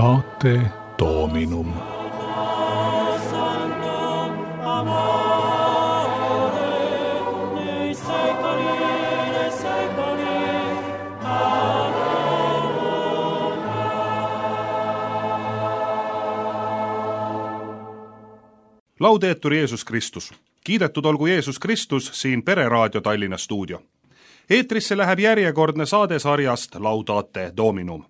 Laudate Dominum. Laudetur Jeesus Kristus. Kiidetud olgu Jeesus Kristus siin Pereraadio Tallinna stuudio. Eetrisse läheb järjekordne saade sarjast Laudate Dominum.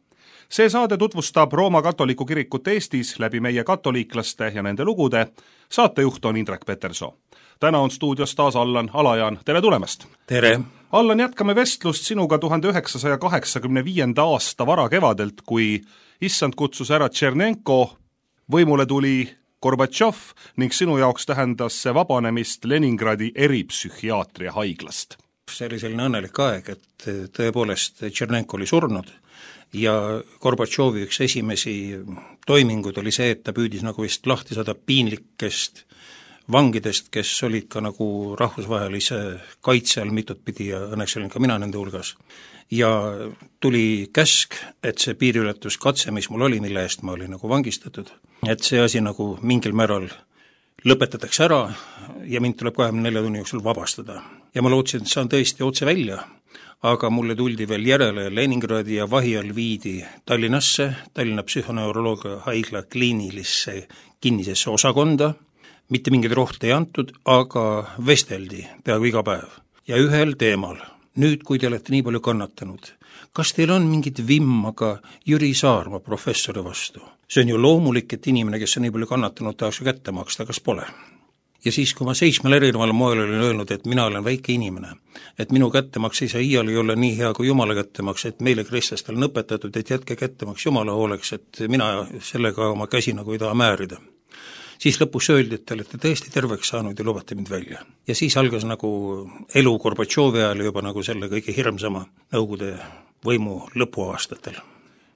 See saade tutvustab Rooma katoliku kirikut Eestis läbi meie katoliiklaste ja nende lugude. Saatejuht on Indrek Peterson. Täna on stuudios taas Allan Alajaan. Tere tulemast! Tere! Allan, jätkame vestlust sinuga 1985. aasta varakevadelt, kui issand kutsus ära Tšernenko, võimule tuli Gorbatšov ning sinu jaoks tähendas see vabanemist Leningradi eripsühhiaatria haiglast. See oli selline õnnelik aeg, et tõepoolest Tšernenko oli surnud ja Gorbatšovi üks esimesi toimingud oli see, et ta püüdis nagu vist lahti saada piinlikest vangidest, kes olid ka nagu rahvusvahelise kaitse all mitut pidi ja õnneks olin ka mina nende hulgas. Ja tuli käsk, et see piiriületuskatse, mis mul oli, mille eest ma olin nagu vangistatud, et see asi nagu mingil määral lõpetatakse ära ja mind tuleb 24 tunni jooksul vabastada. Ja ma lootsin, et saan tõesti otse välja, aga mulle tuldi veel järele Leningradi ja vahi all viidi Tallinnasse, Tallinna psühhoneuroloogia haigla kliinilisse kinnisesse osakonda, mitte mingeid rohte ei antud, aga vesteldi peaaegu iga päev. Ja ühel teemal, nüüd kui te olete nii palju kannatanud, kas teil on mingit vimmaga Jüri Saarma professori vastu? See on ju loomulik, et inimene, kes on nii palju kannatanud, tahaks kätte maksta, kas pole? Ja siis, kui ma 7 erineval moel olin öelnud, et mina olen väike inimene, et minu kättemaks ei saa iial ei ole nii hea kui Jumala kättemaks, et meile kristlastel on õpetatud, et jätke kättemaks Jumala hooleks, et mina sellega oma käsi nagu ei taha määrida. Siis lõpus öeldi, et te olete tõesti terveks saanud ja lubate mind välja. Ja siis algas nagu elu Gorbatšovi ajal juba nagu selle kõige hirmsama Nõukogude võimu lõpuaastatel.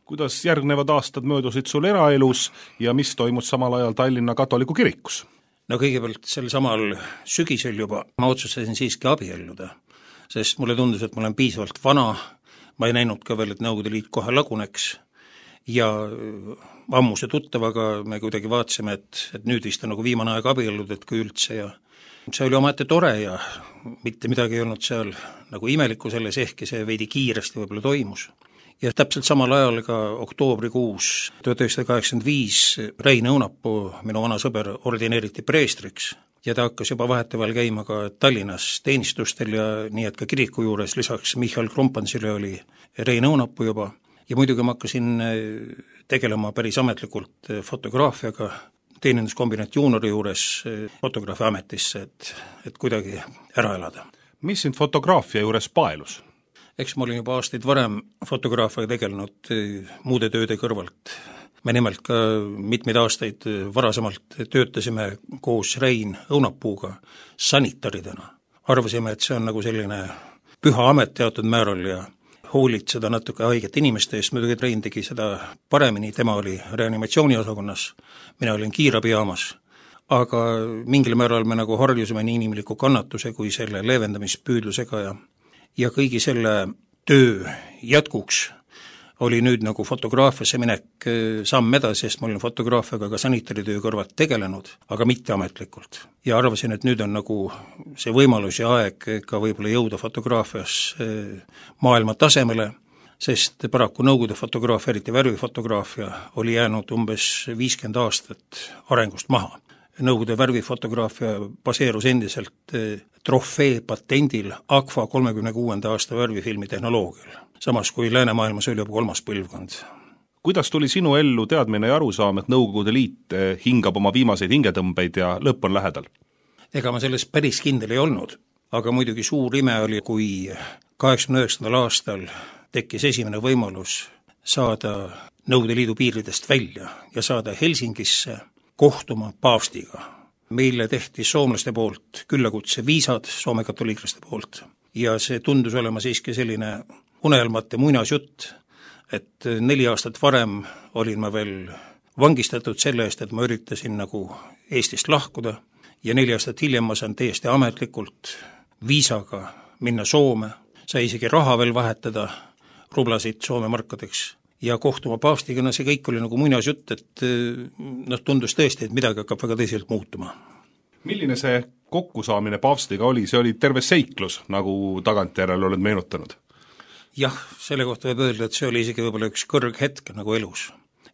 Kuidas järgnevad aastad möödusid sul eraelus ja mis toimus samal ajal Tallinna katoliku kirikus? No kõigepealt sel samal sügisel juba ma otsustasin siiski abielluda, sest mulle tundus, et ma olen piisavalt vana, ma ei näinud ka veel, et Nõukogude Liit kohe laguneks ja ammuse tuttavaga me kuidagi vaatasime, et nüüd vist on nagu viimane aeg abiellud, et kui üldse ja see oli omaette tore ja mitte midagi ei olnud seal nagu imelikku selles, ehkki see veidi kiiresti võib-olla toimus. Ja täpselt samal ajal ka oktoobrikuus 1985 Rein Õunapuu, minu vana sõber, ordineeriti preestriks ja ta hakkas juba vahetevahel käima ka Tallinnas teenistustel ja nii, et ka kiriku juures lisaks Michal Krompansile oli Rein Õunapuu juba. Ja muidugi ma hakkasin tegelema päris ametlikult fotograafiaga, teeninduskombinat juunori juures fotograafi ametisse, et kuidagi ära elada. Mis sind fotograafia juures paelus? Eks ma olin juba aastaid varem fotograafiaga tegelenud muude tööde kõrvalt. Me nimelt ka mitmeid aastaid varasemalt töötasime koos Rein Õunapuuga sanitaridena. Arvasime, et see on nagu selline püha amet teatud määral ja hoolitseda natuke haiget inimeste eest, muidugi Rein tegi seda paremini, tema oli reanimatsiooniosakonnas, mina olin kiirabijaamas, aga mingil määral me nagu harjusime nii inimliku kannatuse kui selle leevendamispüüdlusega ja kõigi selle töö jätkuks oli nüüd nagu fotograafiasse minek samm edasi, sest ma olin fotograafiaga ka sanitaritöö kõrvalt tegelenud, aga mitte ametlikult. Ja arvasin, et nüüd on nagu see võimalus ja aeg ka võib-olla jõuda fotograafias maailma tasemele, sest paraku Nõukogude fotograafia, eriti värvifotograafia, oli jäänud umbes 50 aastat arengust maha. Nõukogude värvifotograafia baseerus endiselt trofee patendil Agfa 36. aasta värvifilmi tehnoloogial, samas kui läänemaailmas oli juba 3. põlvkond. Kuidas tuli sinu ellu teadmine ja arusaam, et Nõukogude Liit hingab oma viimaseid hingetõmbeid ja lõpp on lähedal? Ega ma selles päris kindel ei olnud, aga muidugi suur ime oli, kui 89. aastal tekkis esimene võimalus saada Nõukogude Liidu piiridest välja ja saada Helsingisse kohtuma paavstiga. Meile tehti soomlaste poolt küllakutse viisad, Soome katoliiklaste poolt, ja see tundus olema siiski selline unelmate muinasjutt, et 4 aastat varem olin ma veel vangistatud selle eest, et ma üritasin nagu Eestist lahkuda ja 4 aastat hiljem ma saan täiesti ametlikult viisaga minna Soome, sai isegi raha veel vahetada, rublasid Soome markadeks ja kohtuma paavstiga, see kõik oli nagu muinasjutt, et tundus tõesti, et midagi hakkab väga tõsiselt muutuma. Milline see kokkusaamine paavstiga oli? See oli terve seiklus, nagu tagantjärele oled meenutanud. Jah, selle kohta võib öelda, et see oli isegi võib-olla üks kõrghetk nagu elus.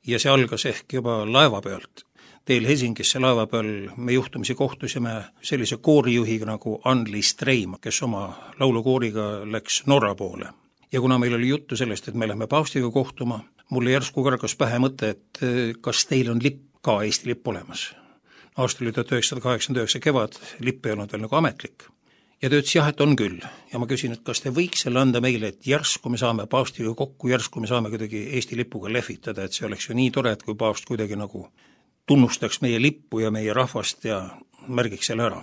Ja see algas ehk juba laeva pealt. Teel Helsingisse laeva peal me juhtumisi kohtusime sellise koorijuhiga nagu Anneli Streima, kes oma laulukooriga läks Norra poole. Ja kuna meil oli juttu sellest, et me lähme paavstiga kohtuma, mulle järsku kargas pähe mõte, et kas teil on lipp ka Eesti lipp olemas. Aasta oli 1989 kevad, lipp ei olnud veel nagu ametlik. Ja ta ütles jah, et on küll. Ja ma küsin, et kas te võiks selle anda meile, et järsku me saame paavstiga kokku, järsku me saame kuidagi Eesti lipuga lehvitada, et see oleks ju nii tore, et kui paavst kuidagi nagu tunnustaks meie lippu ja meie rahvast ja märgiks selle ära.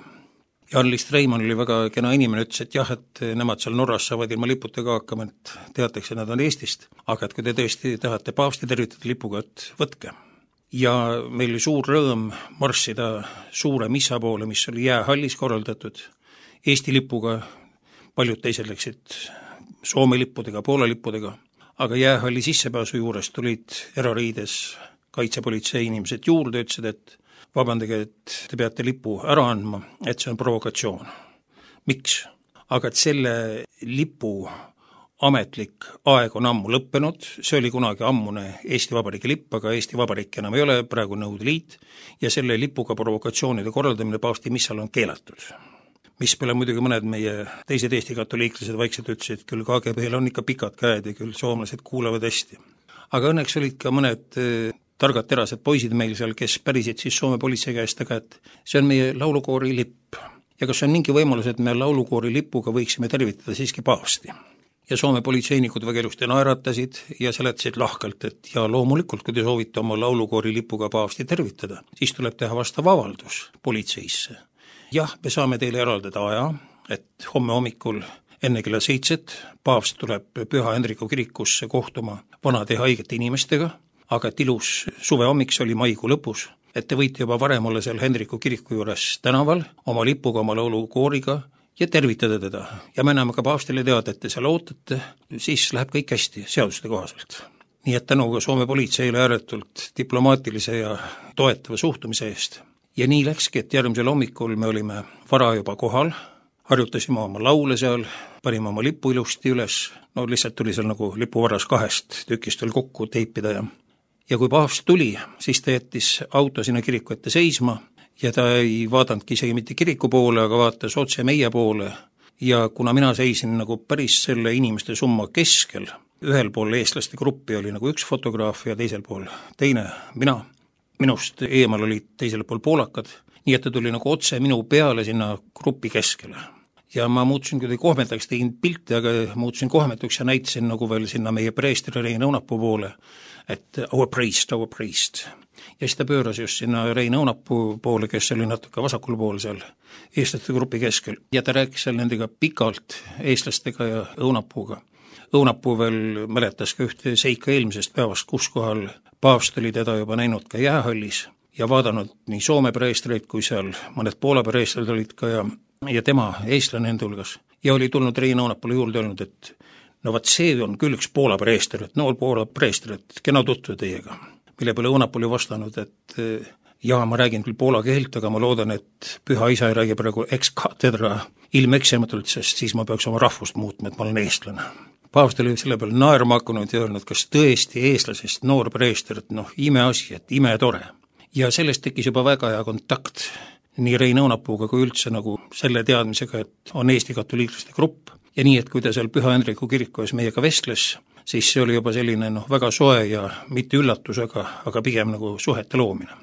Ja Anneli Streimann oli väga kena inimene, ütles, et jah, et nemad seal Norras saavad ilma liputega hakkama, et teatakse, et nad on Eestist, aga et kui te tõesti tahate paavsti tervitada lipuga, et võtke. Ja meil oli suur rõõm marssida suure missa poole, mis oli jäähallis korraldatud, Eesti lipuga, paljud teised läksid Soome lippudega, Poola lippudega, aga jäähalli sissepääsu juures tulid erariides kaitsepolitsei inimesed juurde, ütlesid, et vabandage, et te peate lipu ära andma, et see on provokatsioon. Miks? Aga et selle lipu ametlik aeg on ammu lõppenud, see oli kunagi ammune Eesti Vabariigi lipp, aga Eesti Vabariik enam ei ole, praegu Nõukogude Liit, ja selle lipuga provokatsioonide korraldamine paavsti missal on keelatud. Mis peale muidugi mõned meie teised Eesti katoliiklased vaikselt ütlesid, et küll KGB-l on ikka pikad käed ja küll soomlased kuulevad hästi. Aga õnneks olid ka mõned targad terased poisid meil seal, kes pärisid siis Soome politsei käest, aga et see on meie laulukoori lipp. Ja kas on mingi võimalus, et me laulukoori lipuga võiksime tervitada siiski paavsti? Ja Soome politseinikud väga ilusti naeratasid ja seletasid lahkelt, et ja loomulikult, kui te soovite oma laulukoori lipuga paavsti tervitada, siis tuleb teha vastav avaldus politseisse. Jah, me saame teile eraldada aja, et homme hommikul enne kella 7 paavst tuleb Püha Hendriku kirikusse kohtuma vanade haigete inimestega, aga et ilus suvehommik, see oli maikuu lõpus, et te võite juba varem olla seal Hendriku kiriku juures tänaval oma lipuga, oma laulukooriga ja tervitada teda. Ja me anname ka paavstile teada, et te seal ootate, siis läheb kõik hästi seaduste kohaselt. Nii et tänu ka Soome politseile ääretult diplomaatilise ja toetava suhtumise eest. Ja nii läkski, et järgmisel hommikul me olime vara juba kohal, harjutasime oma laule seal, panime oma lipu ilusti üles, no lihtsalt tuli seal nagu lipuvaras 2 tükist veel kokku teipida ja kui paavst tuli, siis ta jättis auto sinna kiriku ette seisma ja ta ei vaadanudki isegi mitte kiriku poole, aga vaatas otse meie poole ja kuna mina seisin nagu päris selle inimeste summa keskel, ühel pool eestlaste gruppi oli nagu üks fotograaf ja teisel pool teine, minust eemal olid teisel pool poolakad, nii et ta tuli nagu otse minu peale sinna grupi keskele. Ja ma muutusin kuidagi kohmetaks, tegin pilti, aga muutusin kohmetuks ja näitasin nagu veel sinna meie preestri Rein Õunapuu poole, et our priest. Ja siis ta pööras just sinna Rein Õunapuu poole, kes oli natuke vasakul pool seal eestlaste grupi keskel. Ja ta rääkis seal nendega pikalt eestlastega ja Õunapuuga. Õunapuu veel mäletas ka ühte seika eelmisest päevast, kus kohal paavst oli teda juba näinud ka jäähallis ja vaadanud nii Soome preestreid kui seal mõned Poola preestrid olid ka ja tema eestlane enda hulgas. Ja oli tulnud Rein Õunapule juurde öelnud, et no vaat see on küll üks Poola preester, et noor Poola preester, et kena tutvuda teiega. Mille peale Õunapul vastanud, et jaa, ma räägin küll poola keelt, aga ma loodan, et püha isa ei räägi praegu ex cathedra ilmeksimatult, sest siis ma peaks oma rahvust muutma, et ma olen eestlane. Paavst oli selle peale naerma hakanud ja öelnud, kas tõesti eestlasest noor preester, et imeasi, et imetore. Ja sellest tekkis juba väga hea kontakt nii Rein Õunapuuga kui üldse nagu selle teadmisega, et on Eesti katoliiklaste grupp ja nii, et kui ta seal Püha Hendriku kiriku ees meiega vestles, siis see oli juba selline väga soe ja mitte üllatus, aga pigem nagu suhete loomine.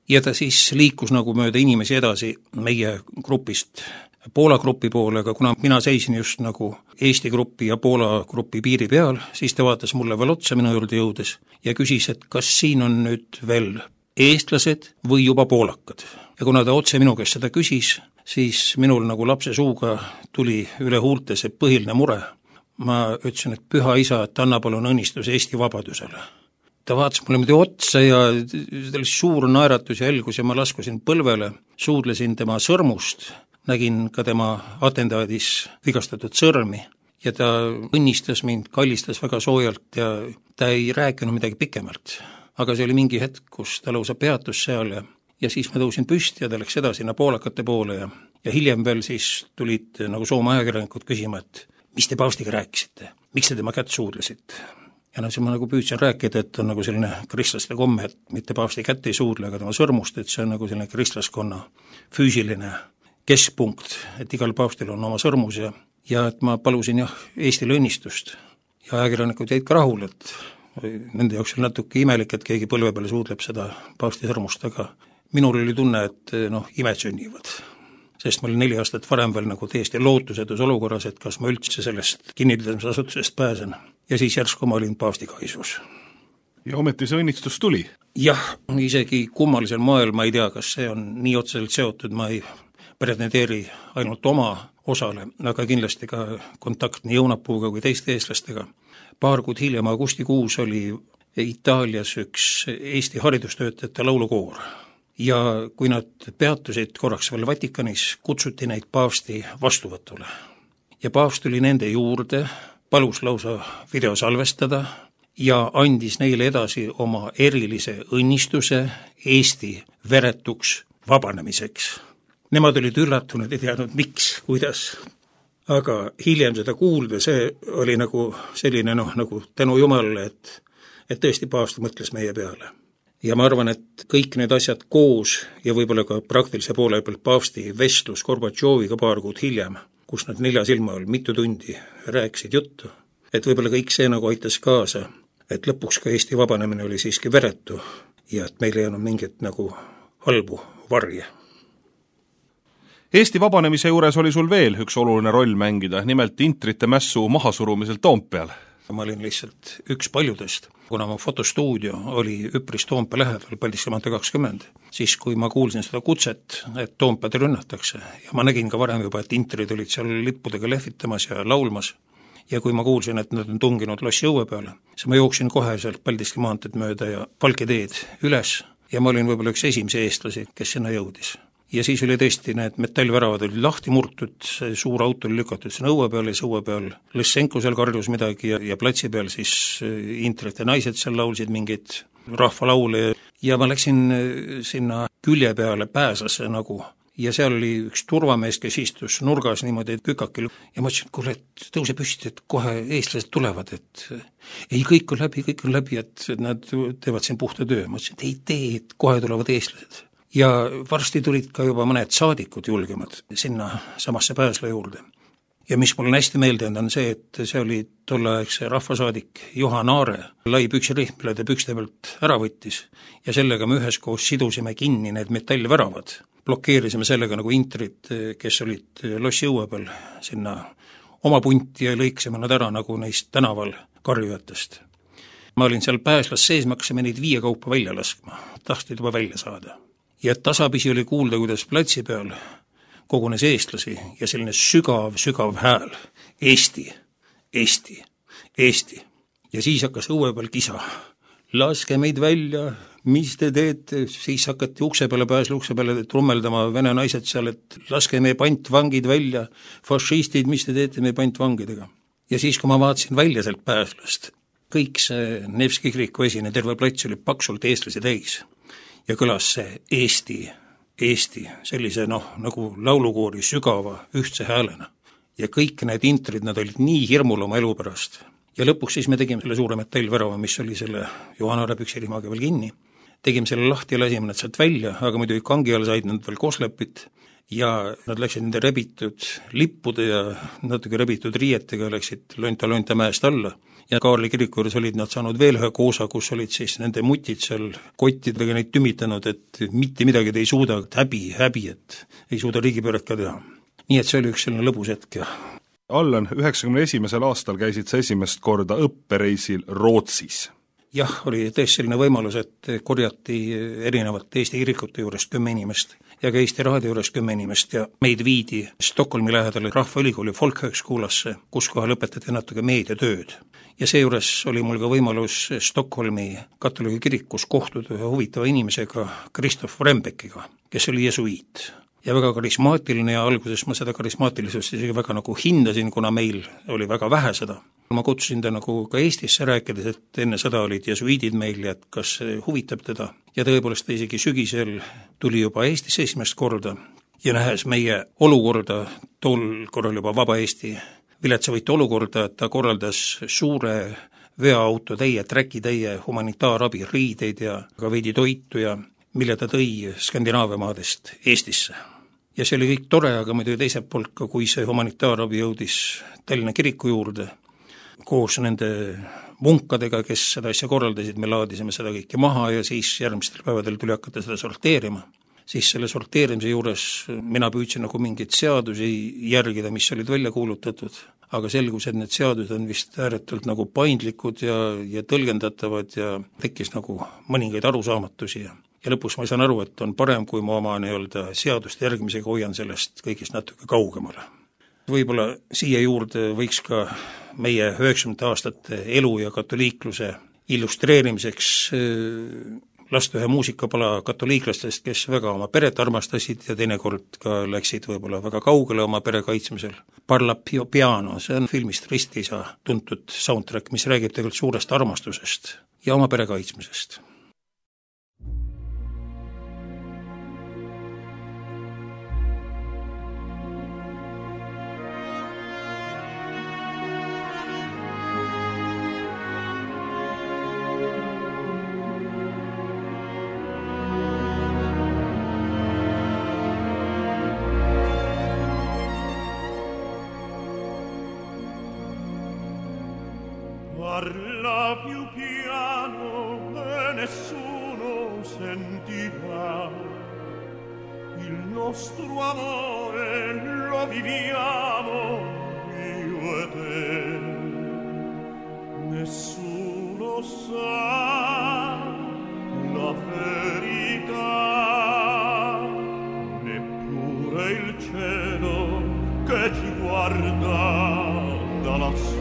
Ja ta siis liikus nagu mööda inimesi edasi meie grupist Poola grupi poole, aga kuna mina seisin just nagu Eesti grupi ja Poola grupi piiri peal, siis ta vaatas mulle veel otsa minu juurde jõudes ja küsis, et kas siin on nüüd veel eestlased või juba poolakad. Ja kuna ta otse minu käest seda küsis, siis minul nagu lapse suuga tuli üle huulte see põhiline mure. Ma ütlesin, et püha isa, et anna palun õnnistus Eesti vabadusele. Ta vaatas mulle muidu otsa ja ta oli suur naeratus ja helgus ja ma laskusin põlvele, suudlesin tema sõrmust, nägin ka tema atendaadis vigastatud sõrmi ja ta õnnistas mind, kallistas väga soojalt ja ta ei rääkinud midagi pikemalt. Aga see oli mingi hetk, kus ta lausa peatus seal ja siis ma tõusin püsti ja ta läks edasi sinna poolakate poole ja hiljem veel siis tulid nagu Soome ajakirjanikud küsima, et mis te paavstiga rääkisite, miks te tema kätt suudlesite? Ja siis ma nagu püüdsin rääkida, et on nagu selline kristlaste komme, et mitte paavsti kätt ei suudle, aga tema sõrmust, et see on nagu selline kristlaskonna füüsiline keskpunkt, et igal paavstil on oma sõrmus ja et ma palusin Eestile õnnistust ja ajakirjanikud jäid ka rahul, et nende jaoks oli natuke imelik, et keegi põlve peale suudleb seda paavsti sõrmust, aga minul oli tunne, et imed sünnivad. Sest ma olin 4 aastat varem veel nagu täiesti lootusetus olukorras, et kas ma üldse sellest kinnitamisasutusest pääsen. Ja siis järsku ma olin paavsti kaisus. Ja ometi see õnnistus tuli? Jah, isegi kummalisel moel ma ei tea, kas see on nii otseselt seotud, ma ei pretendeeri ainult oma osale, aga kindlasti ka kontakt nii Õunapuuga kui teiste eestlastega. Paar kuud hiljem augustikuus oli Itaalias üks Eesti haridustöötajate laulukoor. Ja kui nad peatusid korraks veel Vatikanis, kutsuti neid paavsti vastuvõtule. Ja paavst tuli nende juurde, palus lausa video salvestada ja andis neile edasi oma erilise õnnistuse Eesti veretuks vabanemiseks. Nemad olid üllatunud, ei teadnud miks, kuidas. Aga hiljem seda kuulda, see oli nagu selline nagu tänu Jumalale, et tõesti paavst mõtles meie peale. Ja ma arvan, et kõik need asjad koos ja võib-olla ka praktilise poole pealt paavsti vestlus Gorbatšoviga paar kuud hiljem, kus nad 4 silma all mitu tundi rääkisid juttu, et võib-olla kõik see nagu aitas kaasa, et lõpuks ka Eesti vabanemine oli siiski veretu ja et meil ei olnud mingit nagu halbu varje. Eesti vabanemise juures oli sul veel üks oluline roll mängida, nimelt intrite mässu mahasurumisel Toompeal. Ma olin lihtsalt üks paljudest, kuna mu fotostuudio oli üpris Toompea lähedal, Paldiski maantee 20, siis kui ma kuulsin seda kutset, et Toompead rünnatakse ja ma nägin ka varem juba, et intrid olid seal lippudega lehvitamas ja laulmas ja kui ma kuulsin, et nad on tunginud lossi õue peale, siis ma jooksin kohe sealt Paldiski maanteed mööda ja Valke teed üles ja ma olin võib-olla üks esimesi eestlasi, kes sinna jõudis. Ja siis oli tõesti need metallväravad olid lahti murtud, see suur auto oli lükatud sinna õue peal ja see õue peal Lõssenko seal karjus midagi ja platsi peal siis intrite naised seal laulsid mingeid rahvalaule ja ma läksin sinna külje peale pääsasse nagu ja seal oli üks turvamees, kes istus nurgas niimoodi kükakil ja ma ütlesin, et kuule, et tõuse püsti, et kohe eestlased tulevad, et ei, kõik on läbi, et nad teevad siin puhta töö. Ma ütlesin, et ei tee, et kohe tulevad eestlased. Ja varsti tulid ka juba mõned saadikud julgemad sinna samasse pääsla juurde. Ja mis mul on hästi meelde on see, et see oli tolleaegse rahvasaadik Johan Aare lai püksirihm, mille ta pükste pealt ära võttis ja sellega me üheskoos sidusime kinni need metallväravad. Blokeerisime sellega nagu intrid, kes olid lossi õue peal sinna oma punti ja lõiksime nad ära nagu neist tänaval karjujatest. Ma olin seal pääslas sees, me hakkasime neid 5 kaupa välja laskma, tahtsid juba välja saada. Ja tasapisi oli kuulda, kuidas platsi peal kogunes eestlasi ja selline sügav hääl. Eesti, Eesti, Eesti. Ja siis hakkas õue peal kisa. Laske meid välja, mis te teete? Siis hakati ukse peale trummeldama vene naised seal, et laske meie pantvangid välja, fašistid, mis te teete meie pantvangidega? Ja siis, kui ma vaatasin välja sealt pääslast, kõik see Nevski kiriku esine, terve plats oli paksult eestlasi täis. Ja kõlas see Eesti, sellise nagu laulukoori sügava ühtse häälena. Ja kõik need intrid, nad olid nii hirmul oma elu pärast. Ja lõpuks siis me tegime selle suure metallvärava, mis oli selle Johan Aare püksirimaga veel kinni. Tegime selle lahti ja lasime nad sealt välja, aga muidu kangi all said nad veel koslepit ja nad läksid nende rebitud lippude ja natuke rebitud riietega läksid lonta mäest alla. Ja Kaarli kiriku juures olid nad saanud veel ühe koosa, kus olid siis nende mutid seal kottidega neid tümitanud, et mitte midagi te ei suuda, häbi, et ei suuda riigipööret ka teha. Nii et see oli üks selline lõbus hetk. Allan, 91. aastal käisid sa esimest korda õppereisil Rootsis. Jah, oli tõesti selline võimalus, et korjati erinevalt Eesti kirikute juurest 10 inimest ja ka Eesti Raadio juurest 10 inimest ja meid viidi Stockholmi lähedale Rahvaülikooli Folkhögskoolasse, kus kohal õpetati natuke meediatööd. Ja seejuures oli mul ka võimalus Stockholmi katoliigi kirikus kohtuda ühe huvitava inimesega, Kristof Rembeckiga, kes oli jesuiit. ja väga karismaatiline ja alguses ma seda karismaatilisust isegi väga nagu hindasin, kuna meil oli väga vähe seda. Ma kutsusin ta nagu ka Eestisse rääkides, et enne seda olid jesuiidid meil ja et kas see huvitab teda. Ja tõepoolest ta isegi sügisel tuli juba Eestisse esimest korda ja nähes meie olukorda, tol korral juba Vaba Eesti viletsavõitu olukorda, et ta korraldas suure veoautotäie, träkitäie humanitaarabi, riideid ja ka veidi toitu ja mille ta tõi Skandinaavia maadest Eestisse. Ja see oli kõik tore, aga muidu teiselt poolt ka, kui see humanitaarabi jõudis Tallinna kiriku juurde, koos nende munkadega, kes seda asja korraldasid, me laadisime seda kõike maha ja siis järgmistel päevadel tuli hakata seda sorteerima. Siis selle sorteerimise juures mina püüdsin nagu mingeid seadusi järgida, mis olid välja kuulutatud, aga selgus, et need seadused on vist ääretult nagu paindlikud ja tõlgendatavad ja tekkis nagu mõningaid arusaamatusi ja lõpus ma saan aru, et on parem, kui ma oma seaduste järgimisega hoian sellest kõigist natuke kaugemale. Võib-olla siia juurde võiks ka meie 90 aastate elu ja katoliikluse illustreerimiseks lasta ühe muusikapala katoliiklastest, kes väga oma peret armastasid ja teinekord ka läksid võib-olla väga kaugele oma pere kaitsmisel. Parla piano, see on filmist Ristiisa tuntud soundtrack, mis räägib tegelikult suurest armastusest ja oma pere kaitsmisest. Parla più piano e nessuno sentirà. Il nostro amore lo viviamo io e te. Nessuno sa la verità, neppure il cielo che ci guarda da lassù.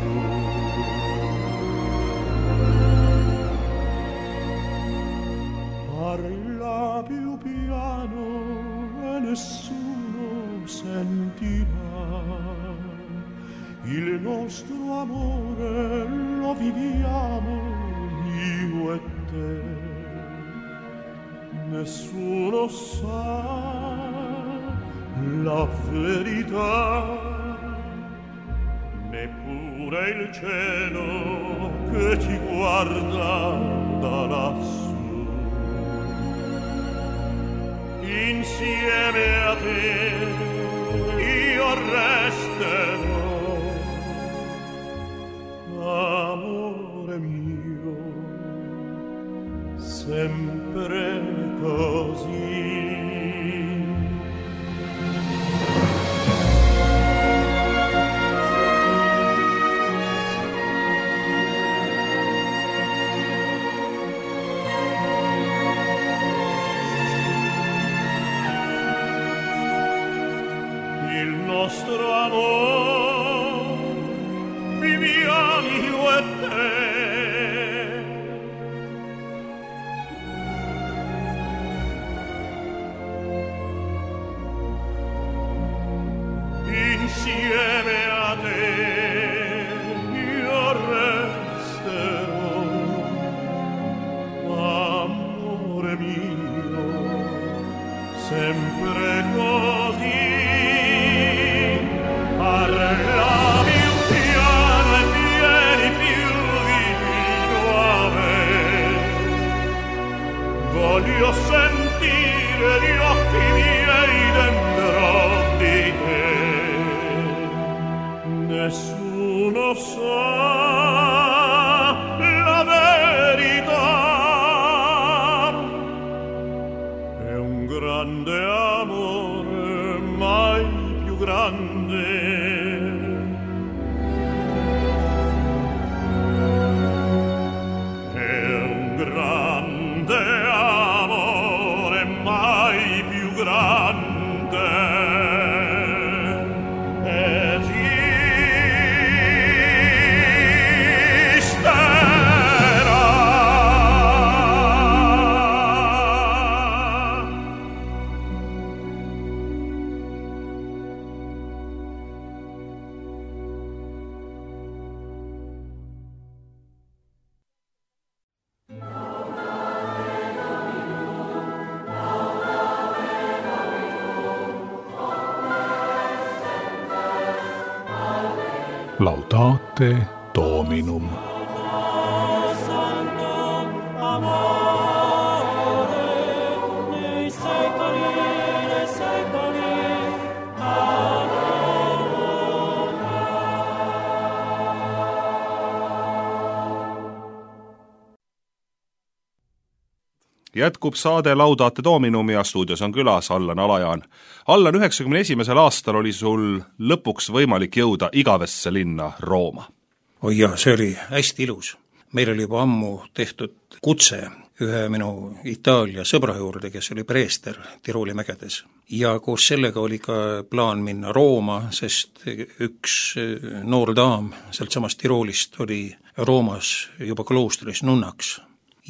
Parla più piano e nessuno sentirà. Il nostro amore lo viviamo io e te. Nessuno sa la verità, neppure il cielo che ci guarda da lassù. Insieme a te io resterò, amore mio, sempre così. Nostro amor viviamo io e te. Insieme a te io resterò, amore mio, sempre così. Parla più piano e vieni più vicino a me. Voglio sentire gli occhi miei dentro di te. Nessuno sa la verità. È un grande amore, mai più grande. Laudate Dominum. Jätkub saade Laudate Dominum ja stuudios on külas Allan Alajaan. Allan, 91. aastal oli sul lõpuks võimalik jõuda igavesse linna Rooma. Oi jah, see oli hästi ilus. Meil oli juba ammu tehtud kutse ühe minu Itaalia sõbra juurde, kes oli preester Tirooli mägedes. Ja koos sellega oli ka plaan minna Rooma, sest üks noor daam sealt samast Tiroolist oli Roomas juba kloostris nunnaks.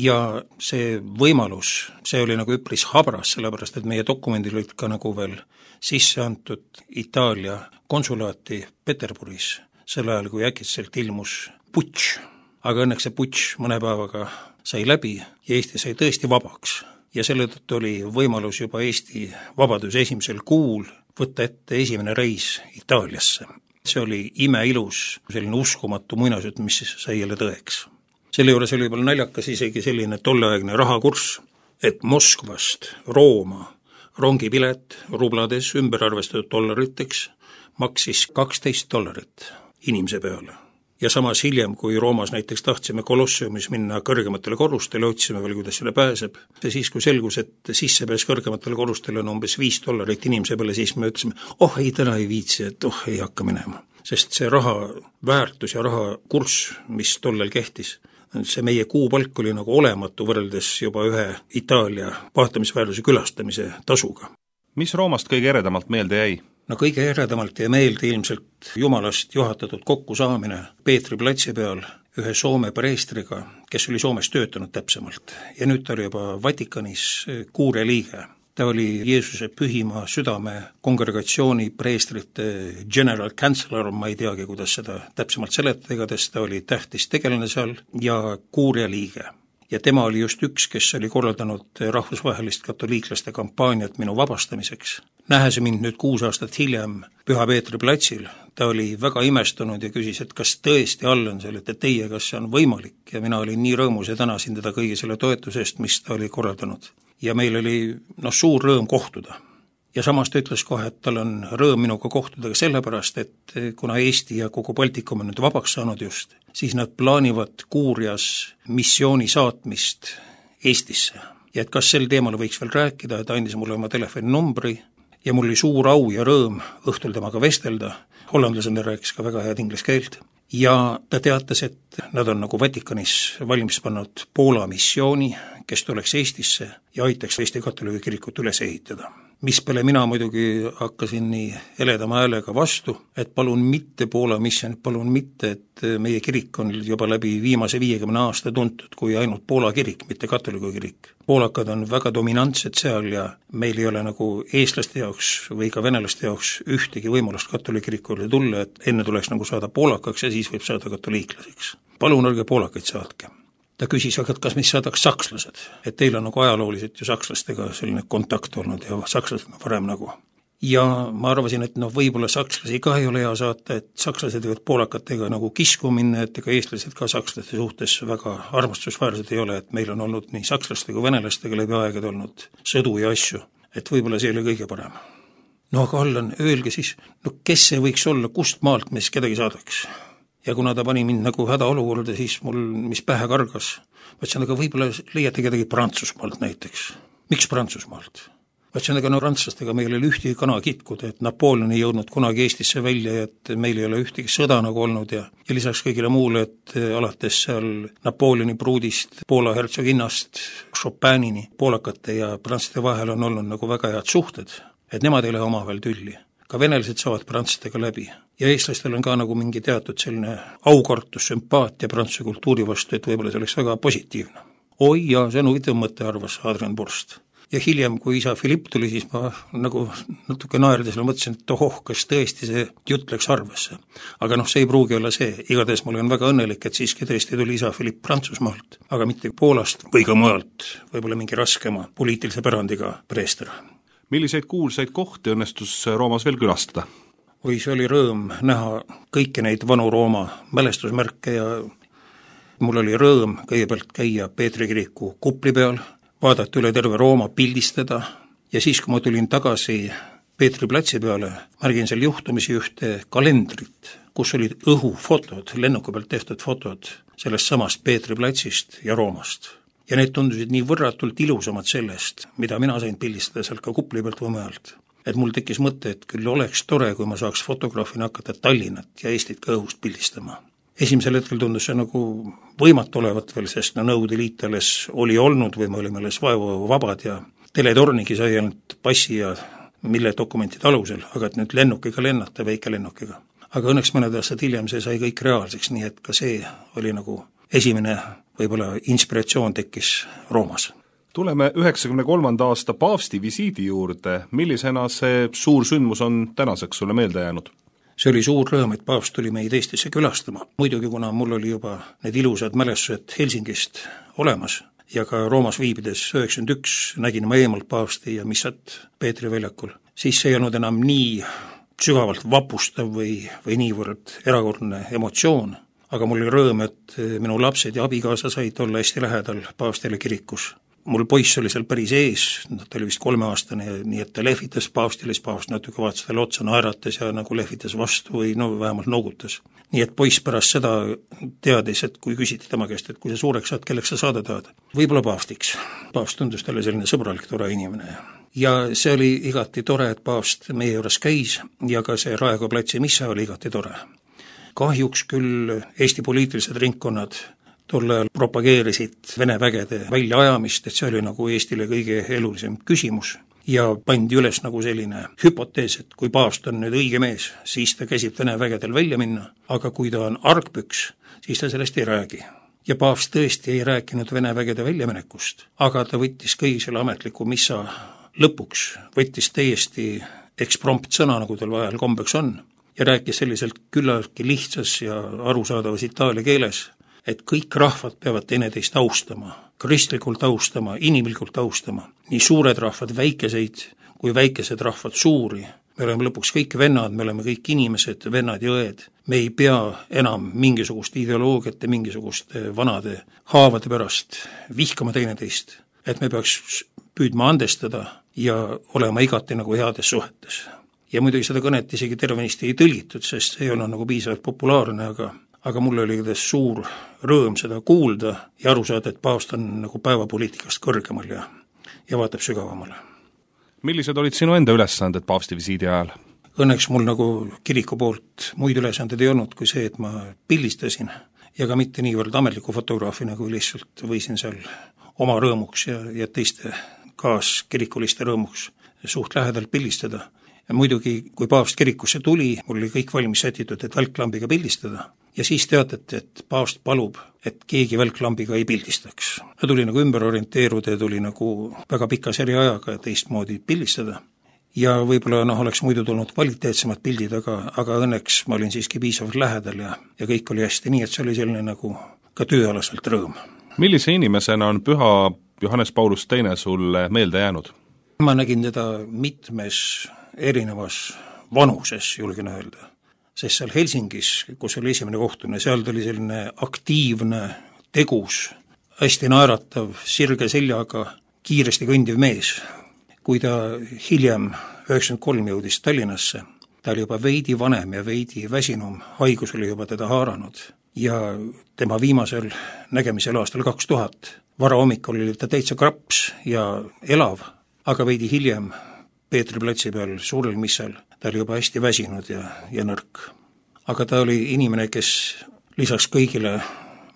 Ja see võimalus, see oli nagu üpris habras, sellepärast et meie dokumendil olid ka nagu veel sisse antud Itaalia konsulaati Peterburis, sel ajal, kui äkitselt ilmus putš. Aga õnneks see putš mõne päevaga sai läbi ja Eesti sai tõesti vabaks. Ja selle tõttu oli võimalus juba Eesti vabaduse esimesel kuul võtta ette esimene reis Itaaliasse. See oli imeilus, selline uskumatu muinasjutt, mis sai jälle tõeks. Selle juures oli juba naljakas isegi selline tolleaegne rahakurss, et Moskvast Rooma rongipilet rublades ümber arvestatud dollariteks maksis $12 inimese peale. Ja samas hiljem, kui Roomas näiteks tahtsime Kolosseumis minna kõrgematele korrustele, otsime veel, kuidas selle pääseb. Ja siis, kui selgus, et sissepääs kõrgematele korrustele on umbes $5 inimese peale, siis me ütlesime, ei täna ei viitsi, et ei hakka minema. Sest see raha väärtus ja raha kurss, mis tollel kehtis, see meie kuupalk oli nagu olematu võrreldes juba ühe Itaalia vaatamisväärtuse külastamise tasuga. Mis Roomast kõige eredamalt meelde jäi? No kõige eredamalt jäi meelde ilmselt Jumalast juhatatud kokkusaamine Peetri platsi peal ühe Soome preestriga, kes oli Soomes töötanud täpsemalt. Ja nüüd ta oli juba Vatikanis kuuria liige. Ta oli Jeesuse pühima südame kongregatsiooni preestrite general counselor, ma ei teagi, kuidas seda täpsemalt seletada, igatahes ta oli tähtis tegelane seal ja kuuria liige. Ja tema oli just üks, kes oli korraldanud rahvusvahelist katoliiklaste kampaaniat minu vabastamiseks. Nähes mind nüüd 6 aastat hiljem Püha Peetri platsil, ta oli väga imestunud ja küsis, et kas tõesti Allan, see olete teie, kas see on võimalik, ja mina olin nii rõõmus ja tänasin teda kõigi selle toetusest, mis ta oli korraldanud. Ja meil oli suur rõõm kohtuda. Ja samas ta ütles kohe, et tal on rõõm minuga kohtuda ka sellepärast, et kuna Eesti ja kogu Baltikum on nüüd vabaks saanud just, siis nad plaanivad kuurias missiooni saatmist Eestisse. Ja et kas sel teemal võiks veel rääkida, et andis mulle oma telefoninumbri ja mul oli suur au ja rõõm õhtul temaga vestelda. Hollandlasena rääkis ka väga head inglise keelt. Ja ta teatas, et nad on nagu Vatikanis valmis pannud Poola missiooni, kes tuleks Eestisse ja aitaks Eesti katoliigi kirikut üles ehitada. Mis peale mina muidugi hakkasin nii heledama häälega vastu, et palun mitte Poola missioon, palun mitte, et meie kirik on juba läbi viimase 50 aasta tuntud kui ainult Poola kirik, mitte katoliigi kirik. Poolakad on väga dominantsed seal ja meil ei ole nagu eestlaste jaoks või ka venelaste jaoks ühtegi võimalust katoliigi kirikule tulla, et enne tuleks nagu saada poolakaks ja siis võib saada katoliiklaseks. Palun ärge poolakaid saatke. Ta küsis, aga kas mis saadaks sakslased, et teil on nagu ajalooliselt ju sakslastega selline kontakt olnud ja sakslased on varem nagu. Ja ma arvasin, et võib-olla sakslasi ka ei ole hea saata, et sakslased võivad poolakatega nagu kisku minna, et ega eestlased ka sakslaste suhtes väga armastusväärsed ei ole, et meil on olnud nii sakslaste kui venelastega läbi aegade olnud sõdu ja asju, et võib-olla see oli kõige parem. Aga Allan, öelge siis, kes see võiks olla, kust maalt me siis kedagi saadaks? Ja kuna ta pani mind nagu hädaolukorda, siis mul, mis pähe kargas, võtsin, aga võib-olla leiate kedagi Prantsusmaalt näiteks. Miks Prantsusmaalt? Võtsin, aga prantslastega meil oli ühtegi kana kitkuda, et Napoleon ei jõudnud kunagi Eestisse välja ja et meil ei ole ühtegi sõda nagu olnud ja lisaks kõigile muule, et alates seal Napoleoni pruudist, Poola hertsoginnast, Chopinini, poolakate ja prantslaste vahel on olnud nagu väga head suhted, et nemad ei lähe omavahel tülli. Ka venelased saavad prantslastega läbi. Ja eestlastel on ka nagu mingi teatud selline aukartus, sümpaatia prantsuse kultuuri vastu, et võib-olla see oleks väga positiivne. Oi jaa, see on huvitav mõte, arvas Adrian Burst. Ja hiljem, kui isa Philipp tuli, siis ma nagu natuke naerdes mõtlesin, et kas tõesti see jutt läks arvesse. Aga see ei pruugi olla see. Igatahes mul on väga õnnelik, et siiski tõesti tuli isa Philipp Prantsusmaalt, aga mitte Poolast või ka mujalt, võib-olla mingi raskema poliitilise pärandiga preester. Milliseid kuulsaid kohti õnnestus Roomas veel külastada? või see oli rõõm näha kõiki neid vanu Rooma mälestusmärke ja mul oli rõõm kõigepealt käia Peetri kiriku kupli peal, vaadata üle terve Rooma, pildistada ja siis, kui ma tulin tagasi Peetri platsi peale, märgin seal juhtumisi ühte kalendrit, kus olid õhufotod, lennuki pealt tehtud fotod sellest samast Peetri platsist ja Roomast. Ja need tundusid nii võrratult ilusamad sellest, mida mina sain pildistada sealt ka kupli pealt või mujalt. Et mul tekkis mõte, et küll oleks tore, kui ma saaks fotograafina hakata Tallinnat ja Eestit ka õhust pildistama. Esimesel hetkel tundus see nagu võimatu olevat veel, sest Nõukogude Liit alles oli olnud või me olime alles vabad ja teletornigi sai ainult passi ja mille dokumentide alusel, aga et nüüd lennukiga lennata, väikelennukiga. Aga õnneks mõned aastad hiljem see sai kõik reaalseks, nii et ka see oli nagu esimene võib-olla inspiratsioon tekkis Roomas. Tuleme 93. aasta paavsti visiidi juurde, millisena see suur sündmus on tänaseks sulle meelde jäänud? See oli suur rõõm, et paavst tuli meid Eestisse külastama. Muidugi, kuna mul oli juba need ilusad mälestused Helsingist olemas ja ka Roomas viibides 91 nägin ma eemalt paavsti ja missat Peetri väljakul, siis see ei olnud enam nii sügavalt vapustav või niivõrd erakordne emotsioon, aga mul oli rõõm, et minu lapsed ja abikaasa said olla hästi lähedal paavstile kirikus. Mul poiss oli seal päris ees, ta oli vist 3-aastane, nii et ta lehvitas paavstile, siis paavst natuke vaatas talle otsa, naeratas ja nagu lehvitas vastu või no vähemalt noogutas. Nii et poiss pärast seda teadis, et kui küsiti tema käest, et kui sa suureks saad, kelleks sa saada tahad? Võib-olla paavstiks. Paavst tundus talle selline sõbralik, tore inimene. Ja see oli igati tore, et paavst meie juures käis ja ka see Raekoja platsi missa oli igati tore. Kahjuks küll Eesti poliitilised ringkonnad tol ajal propageerisid Vene vägede väljaajamist, et see oli nagu Eestile kõige elulisem küsimus ja pandi üles nagu selline hüpotees, et kui paavst on nüüd õige mees, siis ta käsib Vene vägedel välja minna, aga kui ta on argpüks, siis ta sellest ei räägi. Ja paavst tõesti ei rääkinud Vene vägede väljaminekust, aga ta võttis kõigi selle ametliku missa lõpuks, võttis täiesti eksprompt sõna, nagu tal vahel kombeks on, ja rääkis selliselt küllaltki lihtsas ja arusaadavas itaalia keeles, et kõik rahvad peavad teineteist austama, kristlikult austama, inimlikult austama, nii suured rahvad väikeseid kui väikesed rahvad suuri. Me oleme lõpuks kõik vennad, me oleme kõik inimesed, vennad ja õed. Me ei pea enam mingisugust ideoloogiat ja mingisuguste vanade haavade pärast vihkama teineteist, et me peaks püüdma andestada ja olema igati nagu heades suhetes. Ja muidugi seda kõnet isegi tervenisti ei tõlgitud, sest see ei olnud nagu piisavalt populaarne, aga mul oli suur rõõm seda kuulda ja aru saada, et paavst on nagu päevapoliitikast kõrgemal ja vaatab sügavamale. Millised olid sinu enda ülesanded paavsti visiidi ajal? Õnneks mul nagu kiriku poolt muid ülesanded ei olnud kui see, et ma pildistasin ja ka mitte niivõrd ametliku fotograafina, kui lihtsalt võisin seal oma rõõmuks ja teiste kaaskirikuliste rõõmuks suht lähedalt pildistada. Ja muidugi, kui paavst kirikusse tuli, mul oli kõik valmis sätitud, et välklambiga pildistada. Ja siis teatati, et paavst palub, et keegi välklambiga ei pildistaks. Ta tuli nagu ümber orienteeruda ja tuli nagu väga pika seriajaga teistmoodi pildistada. Ja võib-olla oleks muidu tulnud kvaliteetsemad pildid, aga õnneks ma olin siiski piisavalt lähedal ja kõik oli hästi, nii et see oli selline nagu ka tööalaselt rõõm. Millise inimesena on püha Johannes Paulus II sulle meelde jäänud? Ma nägin teda mitmes erinevas vanuses, julgen öelda. Sest seal Helsingis, kus oli esimene kohtumine, seal oli selline aktiivne, tegus, hästi naeratav, sirge seljaga, kiiresti kõndiv mees. Kui ta hiljem 93 jõudis Tallinnasse, ta oli juba veidi vanem ja veidi väsinum, haigus oli juba teda haaranud ja tema viimasel nägemisel aastal 2000 varahommikul oli ta täitsa kraps ja elav, aga veidi hiljem Peetri platsi peal suurel missal ta oli juba hästi väsinud ja nõrk. Aga ta oli inimene, kes lisaks kõigile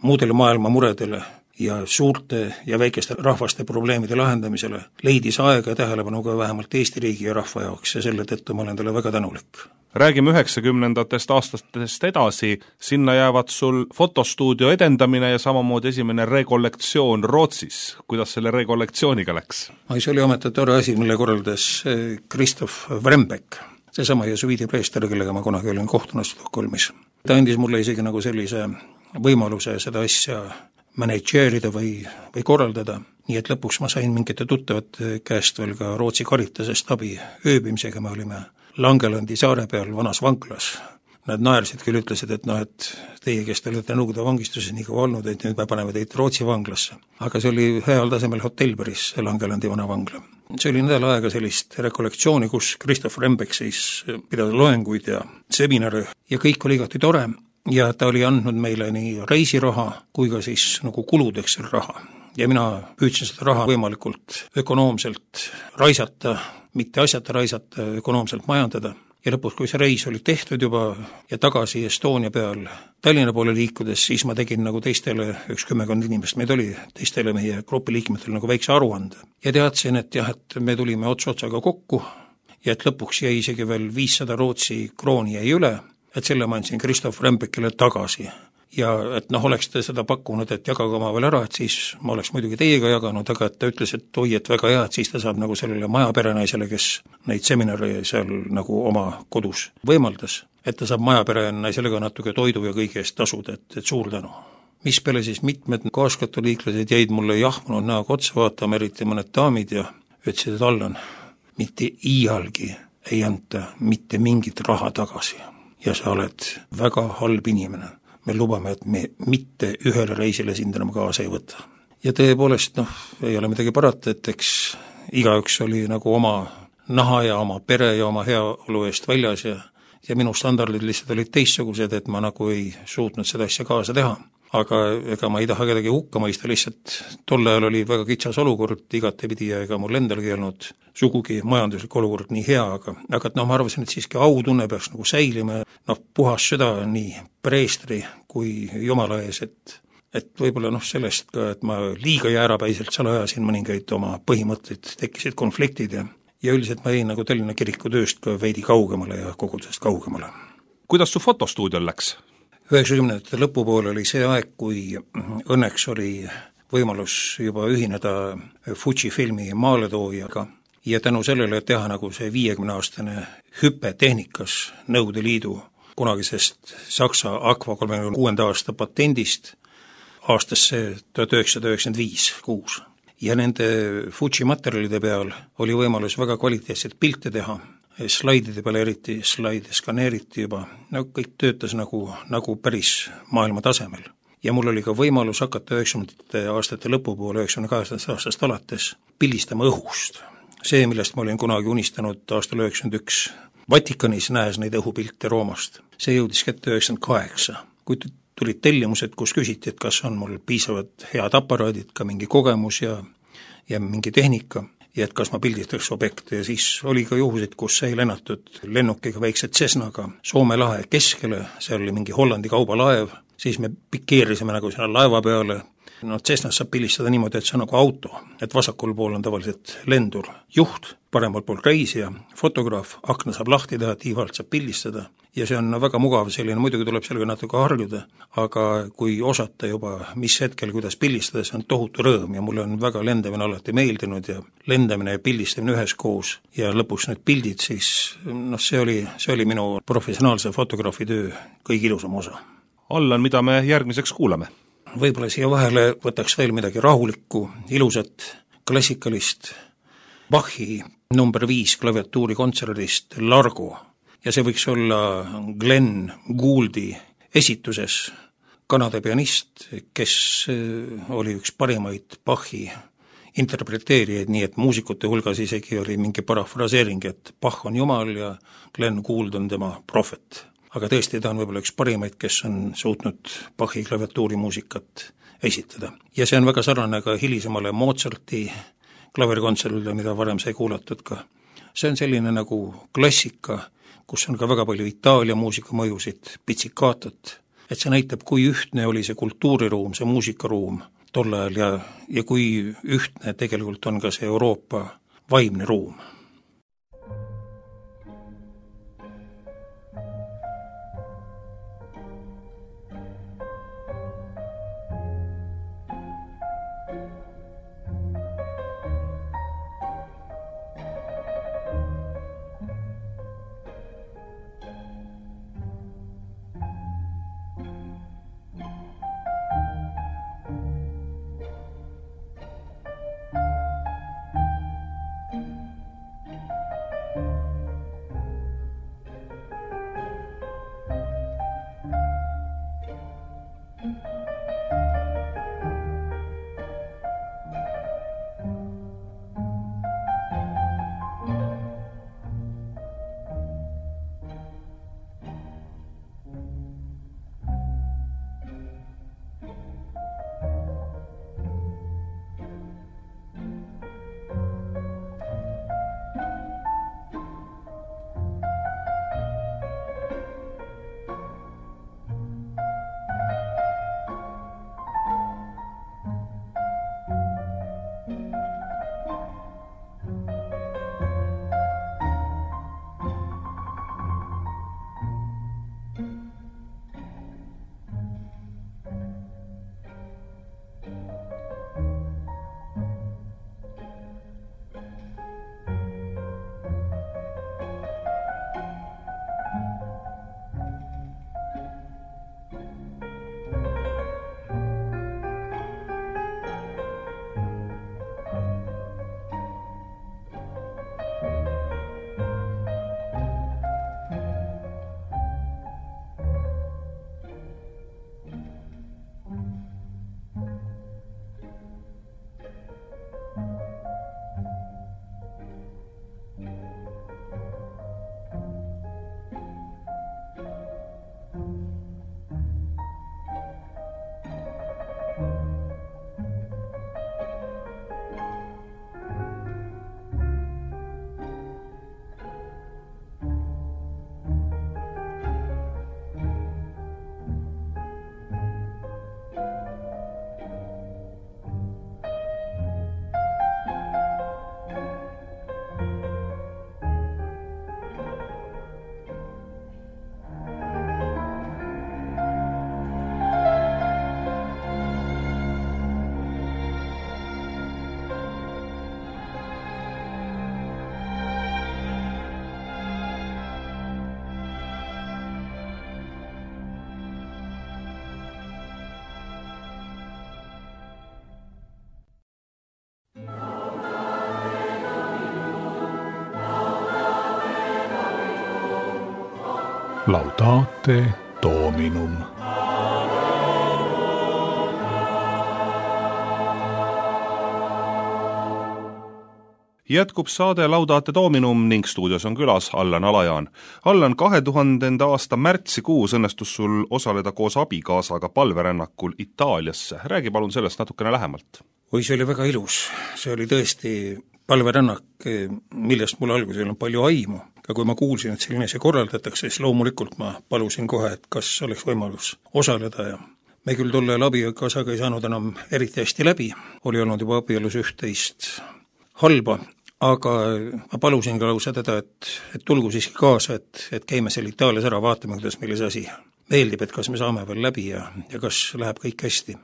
muudele maailma muredele ja suurte ja väikeste rahvaste probleemide lahendamisele leidis aega ja tähelepanu ka vähemalt Eesti riigi ja rahva jaoks ja selle tõttu ma olen talle väga tänulik. Räägime 90-ndatest aastatest edasi, sinna jäävad sul fotostuudio edendamine ja samamoodi esimene rekollektsioon Rootsis. Kuidas selle rekollektsiooniga läks? See oli ometi tore asi, mille korraldas Kristof Vrembeck, seesama jesuiidi preester, kellega ma kunagi olin kohtunud Stockholmis. Ta andis mulle isegi nagu sellise võimaluse seda asja manageerida või korraldada, nii et lõpuks ma sain mingite tuttavate käest veel ka Rootsi Caritasest abi ööbimisega, me olime Langelandi saare peal vanas vanglas. Nad naersid küll, ütlesid, et et teie, kes te olete Nõukogude vangistuses nii kaua olnud, et nüüd me paneme teid Rootsi vanglasse. Aga see oli heal tasemel hotell päris, see Langelandi vana vangla. See oli nädal aega sellist rekollektsiooni, kus Christoph Rembek siis pidas loenguid ja seminare ja kõik oli igati tore ja ta oli andnud meile nii reisiraha kui ka siis nagu kuludeks selle raha. Ja mina püüdsin seda raha võimalikult ökonoomselt raisata, mitte asjata raisata, ökonoomselt majandada. Ja lõpus, kui see reis oli tehtud juba ja tagasi Estonia peal Tallinna poole liikudes, siis ma tegin nagu teistele, 10 inimest meid oli, teistele meie grupi liikmetele nagu väikse aruande. Ja teadsin, et jah, et me tulime otsaga kokku ja et lõpuks jäi isegi veel 500 Rootsi krooni jäi üle, et selle ma andsin Christoph Rembekile tagasi. Ja et oleks ta seda pakkunud, et jagaga oma veel ära, et siis ma oleks muidugi teiega jaganud, aga et ta ütles, et oi, et väga hea, et siis ta saab nagu sellele majaperenaisele, kes neid seminare seal nagu oma kodus võimaldas, et ta saab majaperenaisele ka natuke toidu ja kõige eest tasuda, et suur tänu. Mis peale siis mitmed kaaskatoliiklased jäid mulle jahmunud näoga otsa vaatama, eriti mõned daamid ja ütlesid, et Allan, mitte iialgi ei anta mitte mingit raha tagasi ja sa oled väga halb inimene. Me lubame, et me mitte ühele reisile sind enam kaasa ei võta. Ja tõepoolest, ei ole midagi parata, et eks igaüks oli nagu oma naha ja oma pere ja oma heaolu eest väljas ja minu standardid lihtsalt olid teistsugused, et ma nagu ei suutnud seda asja kaasa teha. Aga ega ma ei taha kedagi hukka mõista, lihtsalt tol ajal oli väga kitsas olukord igatepidi ja ega mul endalgi ei olnud sugugi majanduslik olukord nii hea, aga ma arvasin, et siiski autunne peaks nagu säilima, puhas süda nii preestri kui jumala ees, et võib-olla sellest ka, et ma liiga jäärapäiselt seal ajasin mõningaid oma põhimõtteid, tekkisid konfliktid ja üldiselt ma jäin nagu Tallinna kiriku tööst ka veidi kaugemale ja kogudusest kaugemale. Kuidas su fotostuudiol läks? 90. lõpupoole oli see aeg, kui õnneks oli võimalus juba ühineda Fuji filmi maaletoojaga ja tänu sellele teha nagu see 50-aastane hüpe tehnikas Nõukogude Liidu kunagisest Saksa Aqua 36. aasta patendist aastasse 1995-6. Ja nende Fuji materjalide peal oli võimalus väga kvaliteetset pilte teha, slaidide peale eriti, slaide skaneeriti juba, kõik töötas nagu päris maailma tasemel. Ja mul oli ka võimalus hakata 90. aastate lõpupoole, 98. aastast alates pildistama õhust. See, millest ma olin kunagi unistanud aastal 91 Vatikanis, näes neid õhupilte Roomast. See jõudis kätte 98. Kui tulid tellimused, kus küsiti, et kas on mul piisavad head aparaadid, ka mingi kogemus ja mingi tehnika, ja et kas ma pildistaks objekte ja siis oli ka juhuseid, kus sai lennatud lennukiga väikse Cessnaga Soome lahe keskele, seal oli mingi Hollandi kaubalaev, siis me pikeerisime nagu selle laeva peale. Cessnas saab pildistada niimoodi, et see on nagu auto, et vasakul pool on tavaliselt lendur juht, paremal pool reisija, fotograaf, akna saab lahti teha, tiivalt saab pildistada ja see on väga mugav selline, muidugi tuleb sellega natuke harjuda, aga kui osata juba mis hetkel, kuidas pildistada, see on tohutu rõõm ja mulle on väga lendamine alati meeldinud ja lendamine ja pildistamine üheskoos ja lõpuks need pildid, siis see oli minu professionaalse fotograafi töö kõige ilusam osa. Allan, mida me järgmiseks kuulame? Võib-olla siia vahele võtaks veel midagi rahulikku, ilusat, klassikalist Bachi number 5 klaviatuuri kontserdist Largo ja see võiks olla Glenn Gouldi esituses, Kanada pianist, kes oli üks parimaid Bachi interpreteerijaid, nii et muusikute hulgas isegi oli mingi parafraseering, et Bach on jumal ja Glenn Gould on tema prohvet. Aga tõesti, ta on võib-olla üks parimaid, kes on suutnud Bachi klaviatuurimuusikat esitada. Ja see on väga sarnane ka hilisemale Mozarti klaverikontserdile, mida varem sai kuulatud ka. See on selline nagu klassika, kus on ka väga palju Itaalia muusika mõjusid, pitsikatot, et see näitab, kui ühtne oli see kultuuriruum, see muusikaruum tol ajal ja kui ühtne tegelikult on ka see Euroopa vaimne ruum. Laudate Dominum. Jätkub saade Laudate Dominum ning stuudios on külas Allan Alajaan. Allan, 2000. aasta märtsikuus õnnestus sul osaleda koos abikaasaga palverännakul Itaaliasse. Räägi palun sellest natukene lähemalt. Oi, see oli väga ilus. See oli tõesti palverännak, millest mul alguses ei olnud palju aimu. Aga kui ma kuulsin, et selline see korraldatakse, siis loomulikult ma palusin kohe, et kas oleks võimalus osaleda ja me küll tolle abikaasaga ei saanud enam eriti hästi läbi. Oli olnud juba abielus üht-teist halba, aga ma palusin ka lausa teda, et tulgu siiski kaasa, et käime seal Itaalias ära, vaatame, kuidas meile see asi meeldib, et kas me saame veel läbi ja kas läheb kõik hästi.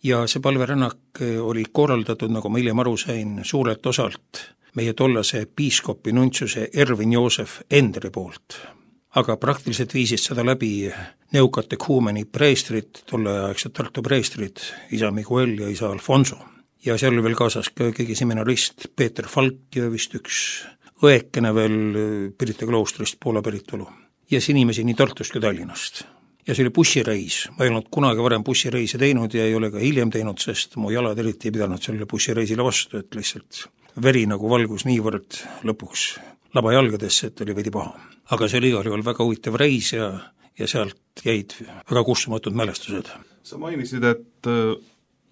Ja see palverännak oli korraldatud, nagu ma hiljem aru sain, suurelt osalt meie tollase piiskopi nuntsiuse Ervin Joosef Endri poolt. Aga praktiliselt viisid seda läbi neukatehuumeni preestrid, tolleaegsed Tartu preestrid, isa Miguel ja isa Alfonso. Ja seal oli veel kaasas keegi seminarist Peeter Falk ja vist üks õekene veel Pirita kloostrist Poola päritolu. Ja see inimesi nii Tartust kui Tallinnast. Ja see oli bussireis. Ma ei olnud kunagi varem bussireisi teinud ja ei ole ka hiljem teinud, sest mu jalad eriti ei pidanud sellele bussireisile vastu, et lihtsalt veri nagu valgus niivõrd lõpuks labajalgadesse, et oli veidi paha. Aga see oli igal juhul väga huvitav reis ja sealt jäid väga kustumatud mälestused. Sa mainisid, et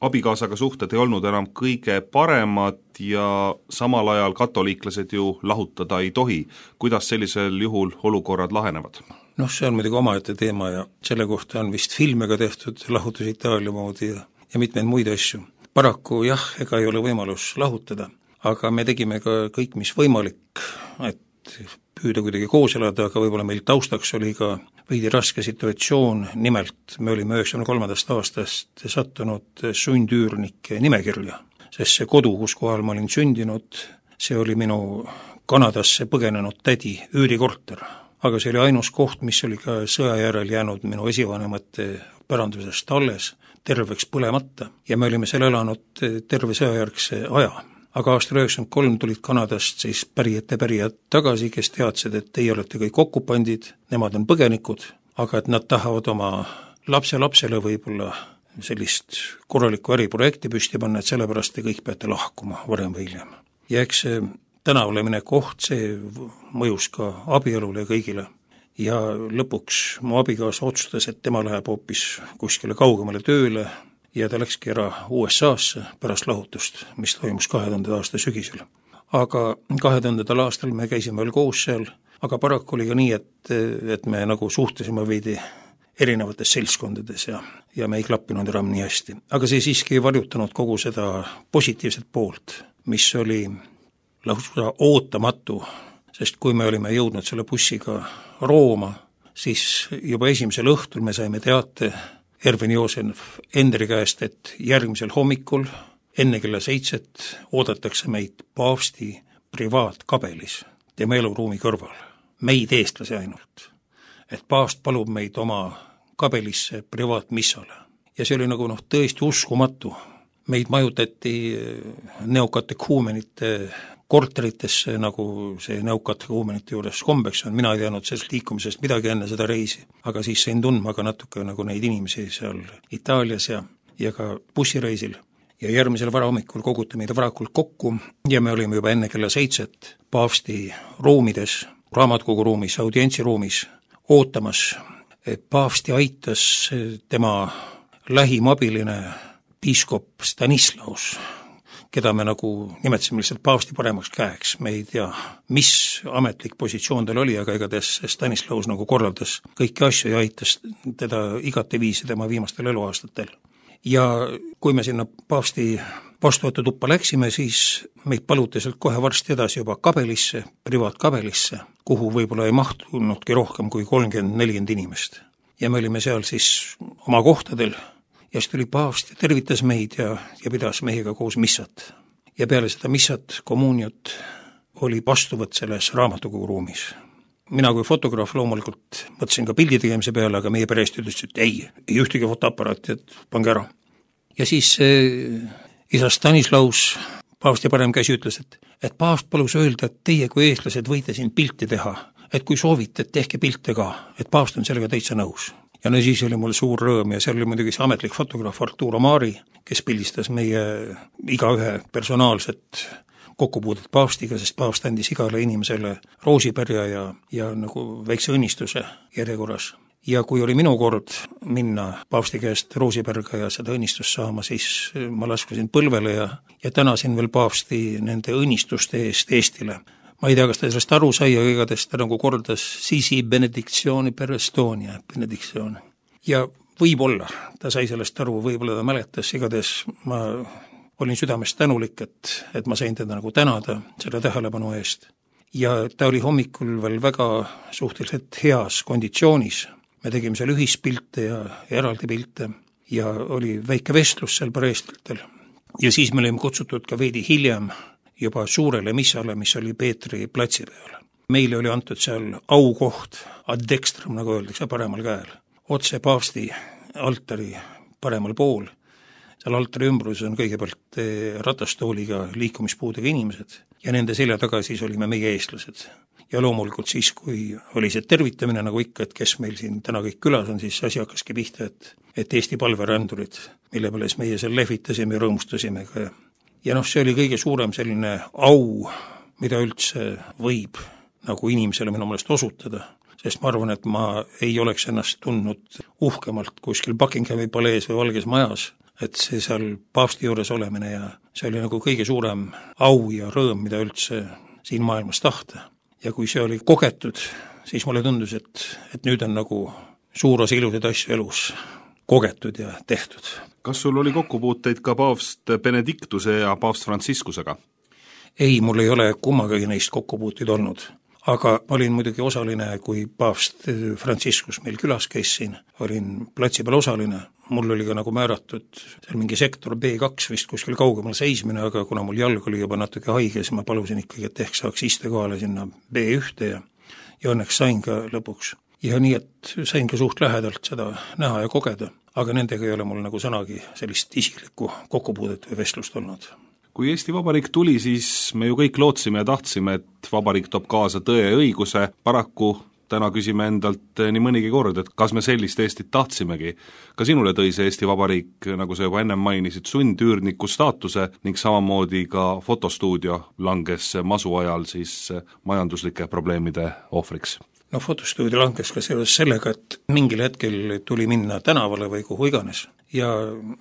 abikaasaga suhted ei olnud enam kõige paremad ja samal ajal katoliiklased ju lahutada ei tohi. Kuidas sellisel juhul olukorrad lahenevad? See on muidugi omaette teema ja selle kohta on vist filme ka tehtud, lahutus Itaalia moodi ja mitmeid muid asju. Paraku jah, ega ei ole võimalus lahutada, aga me tegime ka kõik, mis võimalik, et püüda kuidagi koos elada, aga võib-olla meil taustaks oli ka veidi raske situatsioon, nimelt me olime 93. aastast sattunud sundüürnike nimekirja, sest see kodu, kus kohal ma olin sündinud, see oli minu Kanadasse põgenenud tädi üürikorter. Aga see oli ainus koht, mis oli ka sõja järel jäänud minu esivanemate pärandusest alles, terveks põlemata, ja me olime seal elanud terve sõjajärgse aja. Aga aastal 1993 tulid Kanadast siis pärijad tagasi, kes teadsid, et teie olete kõik okupandid, nemad on põgenikud, aga et nad tahavad oma lapselapsele võib-olla sellist korralikku äriprojekti püsti panna, et sellepärast te kõik peate lahkuma varem või hiljem. Ja eks see tänavale mine koht, see mõjus ka abielule ja kõigile. Ja lõpuks mu abikaasa otsustas, et tema läheb hoopis kuskile kaugemale tööle ja ta läkski ära USA-sse pärast lahutust, mis toimus 2000. aasta sügisel. Aga 2000. aastal me käisime veel koos seal, aga paraku oli ka nii, et me nagu suhtlesime veidi erinevates seltskondades ja me ei klappinud enam nii hästi. Aga see siiski ei varjutanud kogu seda positiivset poolt, mis oli lausa ootamatu, sest kui me olime jõudnud selle bussiga Rooma, siis juba esimesel õhtul me saime teate Ervin Joosef Endri käest, et järgmisel hommikul enne kella 7 oodatakse meid paavsti privaatkabelis tema eluruumi kõrval, meid eestlasi ainult, et paavst palub meid oma kabelisse privaatmissale. Ja see oli nagu tõesti uskumatu. Meid majutati neokatehuumenite korteritesse, nagu see neokatehuumenite juures kombeks on. Mina ei teadnud sellest liikumisest midagi enne seda reisi, aga siis sain tundma ka natuke nagu neid inimesi seal Itaalias ja ka bussireisil. Ja järgmisel varahommikul koguti meid varakult kokku ja me olime juba enne kella 7 paavsti ruumides, raamatukogu ruumis, audientsiruumis ootamas. Paavsti aitas tema lähim abiline piiskop Stanislaus, keda me nagu nimetasime lihtsalt paavsti paremaks käeks. Me ei tea, mis ametlik positsioon tal oli, aga igatahes Stanislaus nagu korraldas kõiki asju ja aitas teda igateviisi tema viimastel eluaastatel. Ja kui me sinna paavsti vastuvõtu tuppa läksime, siis meid paluti sealt kohe varsti edasi juba kabelisse, privaatkabelisse, kuhu võib-olla ei mahtunudki rohkem kui 30-40 inimest. Ja me olime seal siis oma kohtadel ja siis tuli paavst ja tervitas meid ja pidas meiega koos missat. Ja peale seda missat, kommuniot, oli vastuvõtt selles raamatukogu ruumis. Mina kui fotograaf loomulikult mõtlesin ka pildi tegemise peale, aga meie perest ütles, et ei ühtegi fotoaparaati, et pange ära. Ja siis isa Stanislaus, paavsti parem käsi, ütles, et paavst palus öelda, et teie kui eestlased võite siin pilti teha, et kui soovite, et tehke pilte ka, et paavst on sellega täitsa nõus. Ja no siis oli mul suur rõõm ja seal oli muidugi see ametlik fotograaf Arturo Mari, kes pildistas meie igaühe personaalset kokkupuudet paavstiga, sest paavst andis igale inimesele roosipärja ja nagu väikse õnnistuse järjekorras. Ja kui oli minu kord minna paavsti käest roosipärga ja seda õnnistust saama, siis ma laskusin põlvele ja tänasin veel paavsti nende õnnistuste eest Eestile. Ma ei tea, kas ta sellest aru sai, aga igatahes ta nagu kordas Sisi benediktsiooni per Estonia, benediktsiooni. Ja võib-olla ta sai sellest aru, võib-olla ta mäletas, igatahes ma olin südamest tänulik, et ma sain teda nagu tänada selle tähelepanu eest. Ja ta oli hommikul veel väga suhteliselt heas konditsioonis. Me tegime seal ühispilte ja eraldi pilte ja oli väike vestlus seal pareestritel. Ja siis me olime kutsutud ka veidi hiljem juba suurele missale, mis oli Peetri platsi peal. Meile oli antud seal aukoht, ad dextrum, nagu öeldakse, paremal käel. Otse paavsti altari paremal pool. Seal altari ümbrus on kõigepealt ratastooliga liikumispuudega inimesed ja nende selja taga siis olime meie eestlased. Ja loomulikult siis, kui oli see tervitamine nagu ikka, et kes meil siin täna kõik külas on, siis asi hakkaski pihta, et Eesti palverändurid, mille peale meie seal lehvitasime ja rõõmustasime ka. Ja see oli kõige suurem selline au, mida üldse võib nagu inimesele minu meelest osutada, sest ma arvan, et ma ei oleks ennast tundnud uhkemalt kuskil Buckinghami palees või Valges majas, et see seal paavsti juures olemine ja see oli nagu kõige suurem au ja rõõm, mida üldse siin maailmas tahta. Ja kui see oli kogetud, siis mulle tundus, et nüüd on nagu suur osa ilusaid asju elus kogetud ja tehtud. Kas sul oli kokkupuuteid ka paavst Benediktuse ja paavst Franciscusega? Ei, mul ei ole kummagagi neist kokkupuuteid olnud. Aga ma olin muidugi osaline, kui paavst Franciscus meil külas käis siin, olin platsi peal osaline. Mul oli ka nagu määratud seal mingi sektor B2 vist kuskil kaugemal seismine, aga kuna mul jalg oli juba natuke haige, siis ma palusin ikkagi, et ehk saaks istekohale sinna B1 ja õnneks sain ka lõpuks. Ja nii, et sain ka suht lähedalt seda näha ja kogeda, aga nendega ei ole mul nagu sõnagi sellist isiklikku kokkupuudet või vestlust olnud. Kui Eesti Vabariik tuli, siis me ju kõik lootsime ja tahtsime, et Vabariik toob kaasa tõe ja õiguse. Paraku täna küsime endalt nii mõnigi kord, et kas me sellist Eestit tahtsimegi. Ka sinule tõi see Eesti Vabariik, nagu sa juba ennem mainisid, sundüürniku staatuse ning samamoodi ka fotostuudio langes masu ajal siis majanduslike probleemide ohvriks. No fotostuudio langes ka seoses sellega, et mingil hetkel tuli minna tänavale või kuhu iganes. Ja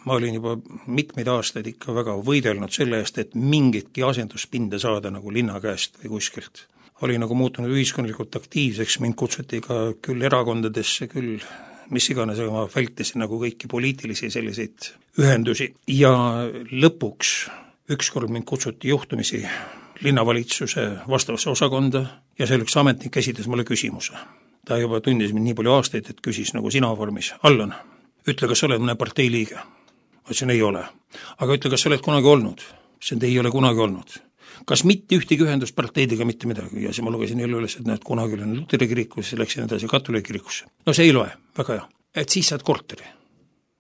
ma olin juba mitmeid aastaid ikka väga võidelnud selle eest, et mingitki asenduspinde saada nagu linna käest või kuskilt. Oli nagu muutunud ühiskondlikult aktiivseks, mind kutsuti ka küll erakondadesse, küll mis iganes, aga ma vältisin nagu kõiki poliitilisi selliseid ühendusi. Ja lõpuks ükskord mind kutsuti juhtumisi linnavalitsuse vastavasse osakonda ja see üks ametnik esitas mulle küsimuse. Ta juba tundis mind nii palju aastaid, et küsis nagu sina vormis. Allan, ütle, kas sa oled mõne partei liige? Ma ütlesin, ei ole. Aga ütle, kas sa oled kunagi olnud? See ei ole kunagi olnud. Kas mitte ühtegi ühendusparteidega mitte midagi? Ja siis ma lugesin jälle üles, et kunagi olen Luteri kirikusse, siis läksin edasi katoliigi kirikusse. No see ei loe, väga hea. Et siis saad korteri.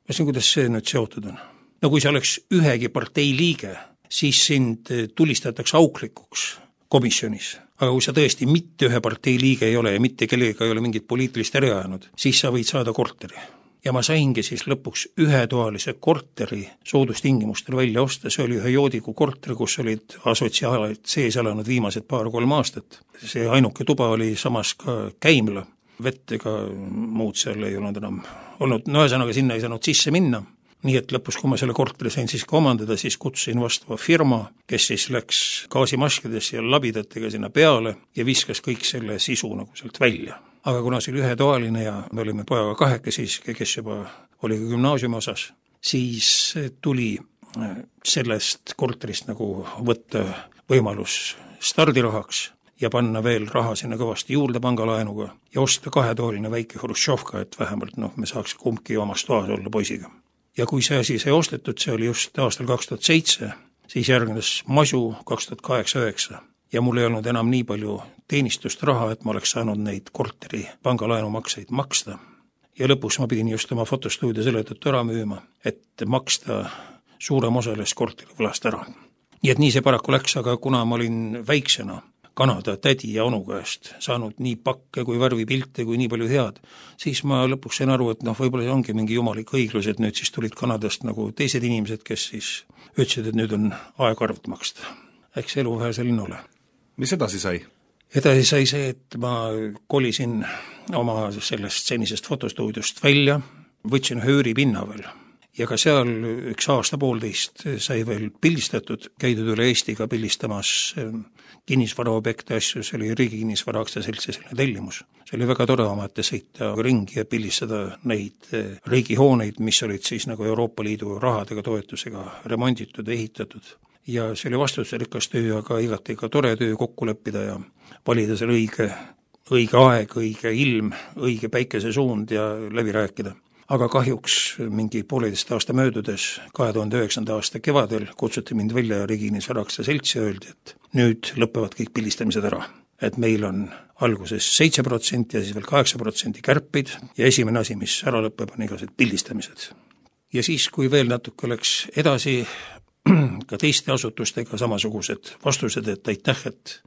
Ja siis kuidas see nüüd seotud on? No kui sa oleks ühegi partei liige, siis sind tulistatakse auklikuks komisjonis. Aga kui sa tõesti mitte ühe partei liige ei ole ja mitte kellega ei ole mingit poliitilist äri ajanud, siis sa võid saada korteri. Ja ma saingi siis lõpuks ühetoalise korteri soodustingimustel välja osta, see oli ühe joodiku korteri, kus olid asotsiaalid sees elanud viimased 2-3 aastat. See ainuke tuba oli samas ka käimla, vett ega muud seal ei olnud enam olnud, no ühesõnaga sinna ei saanud sisse minna. Nii et lõpus, kui ma selle korteri sain siis ka omandada, siis kutsusin vastava firma, kes siis läks gaasimaskidesse ja labidatega sinna peale ja viskas kõik selle sisu nagu sealt välja. Aga kuna see oli ühetoaline ja me olime pojaga kahekesi, kes juba oli ka gümnaasiumi osas, siis tuli sellest korterist nagu võtta võimalus stardirahaks ja panna veel raha sinna kõvasti juurde pangalaenuga ja osta 2-toaline väike Hruštšovka, et vähemalt me saaks kumbki omas toas olla poisiga. Ja kui see asi sai ostetud, see oli just aastal 2007, siis järgnes masu 2008-2009. Ja mul ei olnud enam nii palju teenistust raha, et ma oleks saanud neid korteri pangalaenumakseid maksta. Ja lõpuks ma pidin just oma fotostuudio selle tõttu ära müüma, et maksta suurem osa sellest korteri võlast ära. Nii et nii see paraku läks, aga kuna ma olin väiksena Kanada tädi ja onu käest saanud nii pakke kui värvipilte kui nii palju head, siis ma lõpuks sain aru, et võib-olla see ongi mingi jumalik õiglus, et nüüd siis tulid Kanadast nagu teised inimesed, kes siis ütlesid, et nüüd on aeg arvet maksta. Eks elu vähe selline ole. Mis edasi sai? Edasi sai see, et ma kolisin oma sellest senisest fotostuudiost välja, võtsin hööripinna veel. Ja ka seal 1 aasta 1,5 sai veel pildistatud, käidud üle Eestiga pildistamas kinnisvaraobjekte asju, see oli Riigi Kinnisvara Aktsiaseltsi selline tellimus. See oli väga tore omate sõita ringi ja pildistada neid riigihooneid, mis olid siis nagu Euroopa Liidu rahadega toetusega remonditud ja ehitatud. Ja see oli vastutusrikas töö, aga igati ka tore töö kokku leppida ja valida seal õige aeg, õige ilm, õige päikesesuund ja läbi rääkida. Aga kahjuks mingi 1,5 aasta möödudes 2009. aasta kevadel kutsuti mind välja Riigi Kinnisvara Aktsiaseltsi ja öeldi, et nüüd lõpevad kõik pildistamised ära. Et meil on alguses 7% ja siis veel 8% kärpid ja esimene asi, mis ära lõpeb, on igased pildistamised. Ja siis, kui veel natuke läks edasi, ka teiste asutustega samasugused vastused, et aitäh, et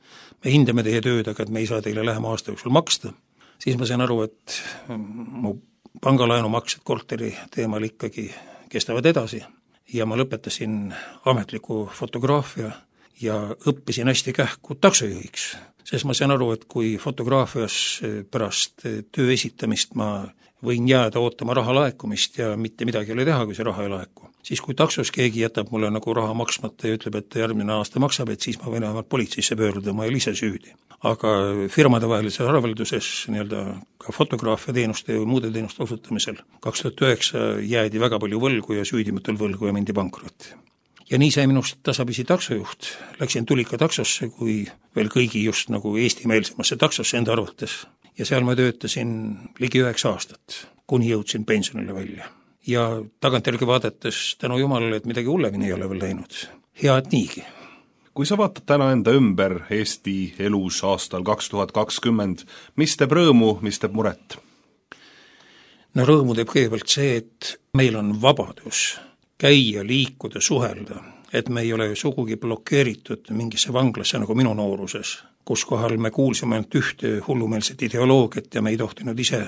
me hindame teie tööd, aga et me ei saa teile lähema aasta jooksul maksta, siis ma sain aru, et mu pangalaenumaksed korteri teemal ikkagi kestavad edasi ja ma lõpetasin ametliku fotograafia ja õppisin hästi kähku taksojuhiks, sest ma sain aru, et kui fotograafias pärast töö esitamist ma võin jääda ootama raha laekumist ja mitte midagi ei ole teha, kui see raha ei laeku. Siis kui taksos keegi jätab mulle nagu raha maksmata ja ütleb, et järgmine aasta maksab, et siis ma võin vähemalt politseisse pöörduda, ma ei ole ise süüdi. Aga firmade vahelises arvelduses ka fotograafia teenuste ja muude teenuste osutamisel 2009 jäädi väga palju võlgu ja süüdimatul võlgu ja mindi pankrotti. Ja nii sai minust tasapisi taksojuht. Läksin tulika taksosse, kui veel kõigi just nagu eestimeelsemasse taksosse enda arvates. Ja seal ma töötasin ligi 9 aastat, kuni jõudsin pensionile välja. Ja tagantjärgi vaadates tänu Jumalale, et midagi hullemini ei ole veel läinud. Hea, et niigi. Kui sa vaatad täna enda ümber Eesti elus aastal 2020, mis teeb rõõmu, mis teeb muret? No rõõmu teeb kõigepealt see, et meil on vabadus käia, liikuda, suhelda, et me ei ole sugugi blokeeritud mingisse vanglasse nagu minu nooruses, kus kohal me kuulsime ainult ühte hullumeelset ideoloogiat ja me ei tohtinud ise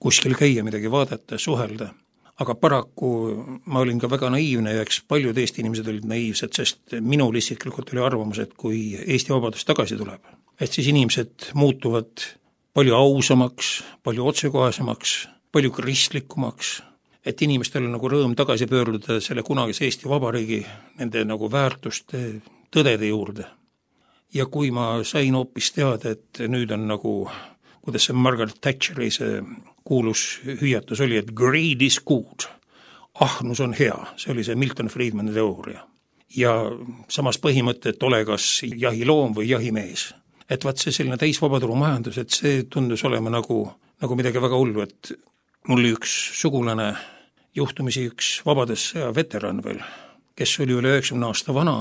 kuskil käia, midagi vaadata, suhelda. Aga paraku ma olin ka väga naiivne ja eks paljud Eesti inimesed olid naiivsed, sest minul isiklikult oli arvamus, et kui Eesti vabadus tagasi tuleb, et siis inimesed muutuvad palju ausamaks, palju otsekohasemaks, palju kristlikumaks, et inimestel on nagu rõõm tagasi pöörduda selle kunagise Eesti Vabariigi nende nagu väärtuste, tõdede juurde. Ja kui ma sain hoopis teada, et nüüd on nagu, kuidas see Margaret Thatcheri see kuulus hüüatus oli, et greed is good, ahnus on hea, see oli see Milton Friedmani teooria. Ja samas põhimõte, et ole kas jahiloom või jahimees. Et vaat see selline täisvabaturu majandus, et see tundus olema nagu midagi väga hullu, et mul oli üks sugulane, juhtumisi üks Vabadussõja veteran veel, kes oli üle 90 aasta vana,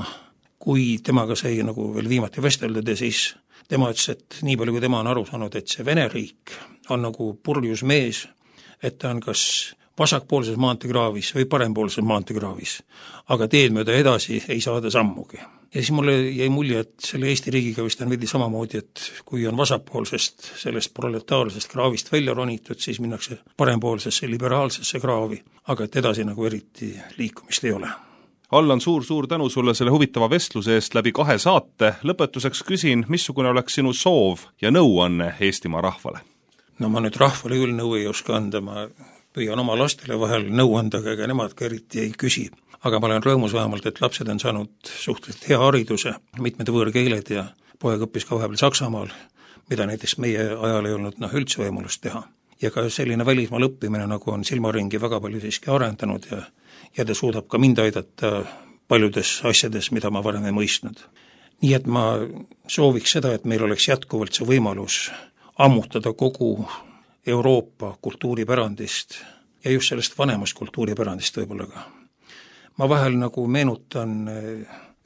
kui temaga sai nagu veel viimati vesteldada, siis tema ütles, et nii palju, kui tema on aru saanud, et see Vene riik on nagu purjus mees, et ta on kas vasakpoolses maanteekraavis või parempoolses maanteekraavis, aga teed mööda edasi ei saada sammugi. Ja siis mulle jäi mulje, et selle Eesti riigiga vist on veidi samamoodi, et kui on vasakpoolsest sellest proletaarsest kraavist välja ronitud, siis minnakse parempoolsesse liberaalsesse kraavi, aga et edasi nagu eriti liikumist ei ole. Allan, suur tänu sulle selle huvitava vestluse eest läbi 2 saate. Lõpetuseks küsin, missugune oleks sinu soov ja nõuanne Eestimaa rahvale? No ma nüüd rahvale küll nõu ei oska anda, ma püüan oma lastele vahel nõu anda, aga nemad ka eriti ei küsi. Aga ma olen rõõmus vähemalt, et lapsed on saanud suhteliselt hea hariduse, mitmed võõrkeeled ja poeg õppis ka vahepeal Saksamaal, mida näiteks meie ajal ei olnud üldse võimalust teha. Ja ka selline välismaal õppimine nagu on silmaringi väga palju siiski arendanud ja ta suudab ka mind aidata paljudes asjades, mida ma varem ei mõistnud. Nii et ma sooviks seda, et meil oleks jätkuvalt see võimalus ammutada kogu Euroopa kultuuripärandist ja just sellest vanemast kultuuripärandist võib-olla ka. Ma vahel nagu meenutan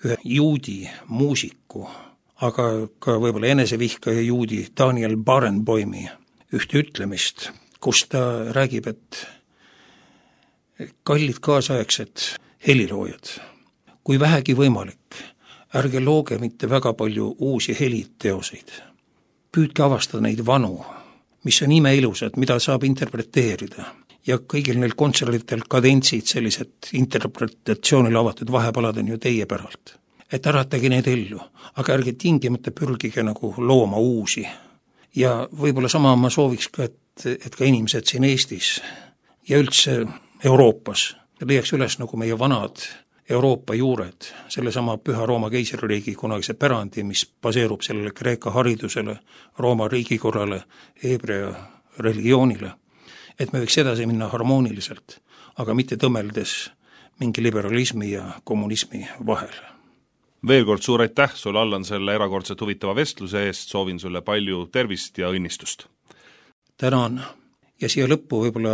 ühe juudi muusiku, aga ka võib-olla enesevihkaja juudi Daniel Barenboimi ühte ütlemist, kus ta räägib, et kallid kaasaegsed heliloojad, kui vähegi võimalik, ärge looge mitte väga palju uusi heliteoseid. Püüdke avastada neid vanu, mis on imeilusad, mida saab interpreteerida. Ja kõigil neil kontserditel kadentsid, sellised interpretatsioonile avatud vahepalad on ju teie päralt. Et äratage need ellu, aga ärge tingimata pürgige nagu looma uusi. Ja võib-olla sama ma sooviks ka, et ka inimesed siin Eestis ja üldse Euroopas leiaks üles nagu meie vanad Euroopa juured, sellesama Püha Rooma keisririigi kunagise pärandi, mis baseerub sellele Kreeka haridusele, Rooma riigikorrale, Hebrea religioonile, et me võiks edasi minna harmooniliselt, aga mitte tõmeldes mingi liberalismi ja kommunismi vahel. Veel kord suur aitäh sulle, Allan, selle erakordselt huvitava vestluse eest, soovin sulle palju tervist ja õnnistust. Tänan ja siia lõppu võib-olla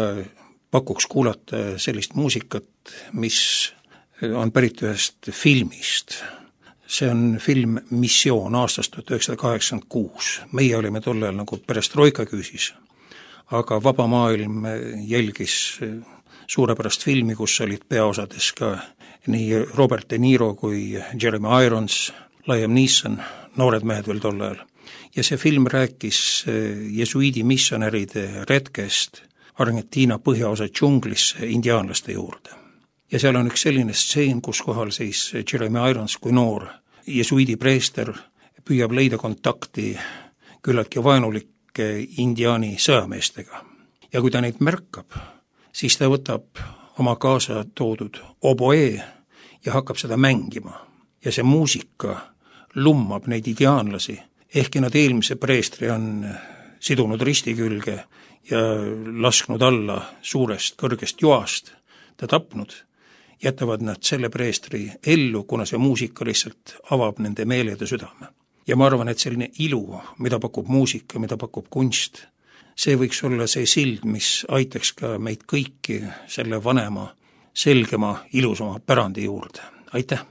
pakuks kuulata sellist muusikat, mis on pärit ühest filmist. See on film Missioon aastast 1986. Meie olime tollel nagu perestroika küüsis, aga vaba maailm jälgis suurepärast filmi, kus olid peaosades ka nii Robert De Niro kui Jeremy Irons, Liam Neeson, noored mehed veel tol ajal. Ja see film rääkis jesuiidi missionäride retkest Argentiina põhjaosa džunglisse indiaanlaste juurde. Ja seal on üks selline stseen, kus kohal siis Jeremy Irons kui noor jesuiidi preester püüab leida kontakti küllaltki vaenulike indiaani sõjameestega. Ja kui ta neid märkab, siis ta võtab oma kaasa toodud oboe ja hakkab seda mängima. Ja see muusika lummab neid indiaanlasi, ehkki nad eelmise preestri on sidunud risti külge ja lasknud alla suurest kõrgest joast, ta tapnud, jätavad nad selle preestri ellu, kuna see muusika lihtsalt avab nende meeled ja südame. Ja ma arvan, et selline ilu, mida pakub muusika, mida pakub kunst, see võiks olla see sild, mis aitaks ka meid kõiki selle vanema, selgema, ilusama pärandi juurde. Aitäh!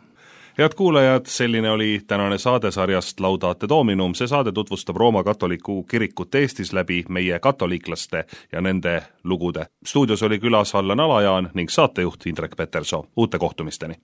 Head kuulajad, selline oli tänane saadesarjast Laudate Dominum. See saade tutvustab Rooma katoliku kirikut Eestis läbi meie katoliiklaste ja nende lugude. Stuudios oli külas Allan Alajaan ning saatejuht Indrek Petersoo. Uute kohtumisteni!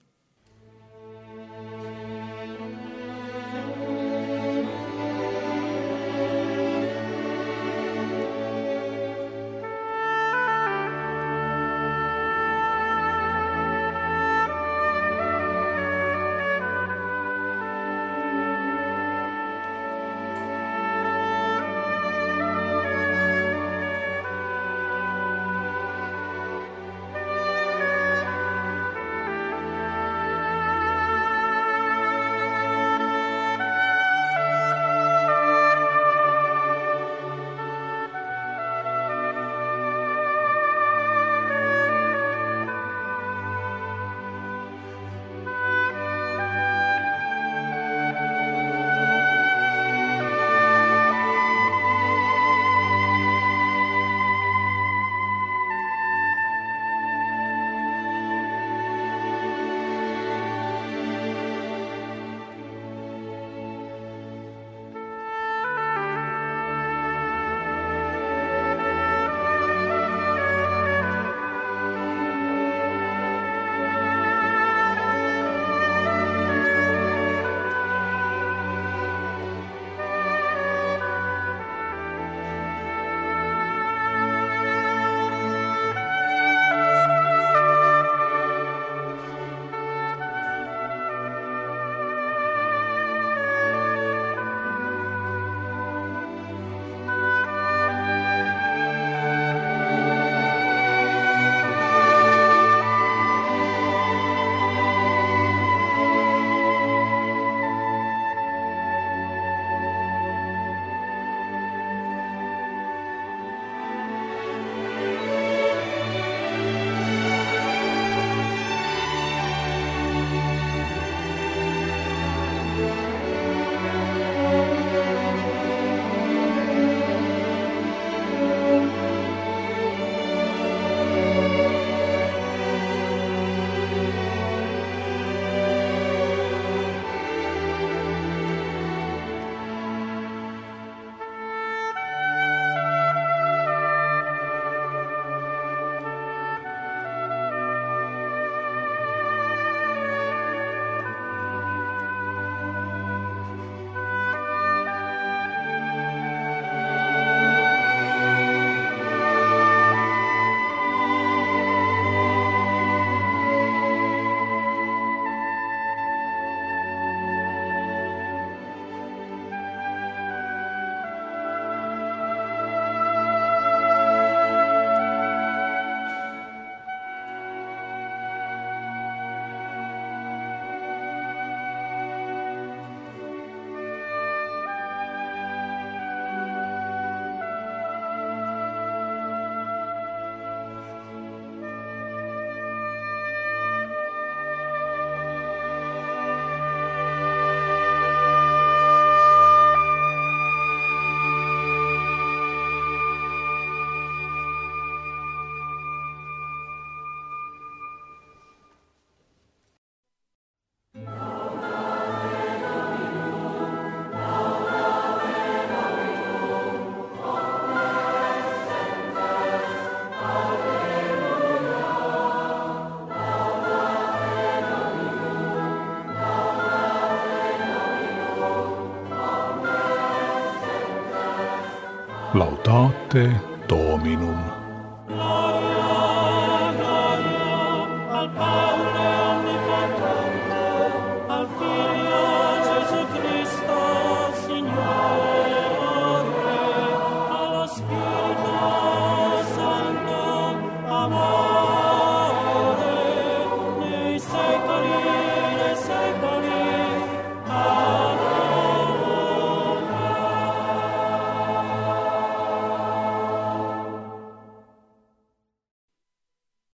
Laudate Dominum.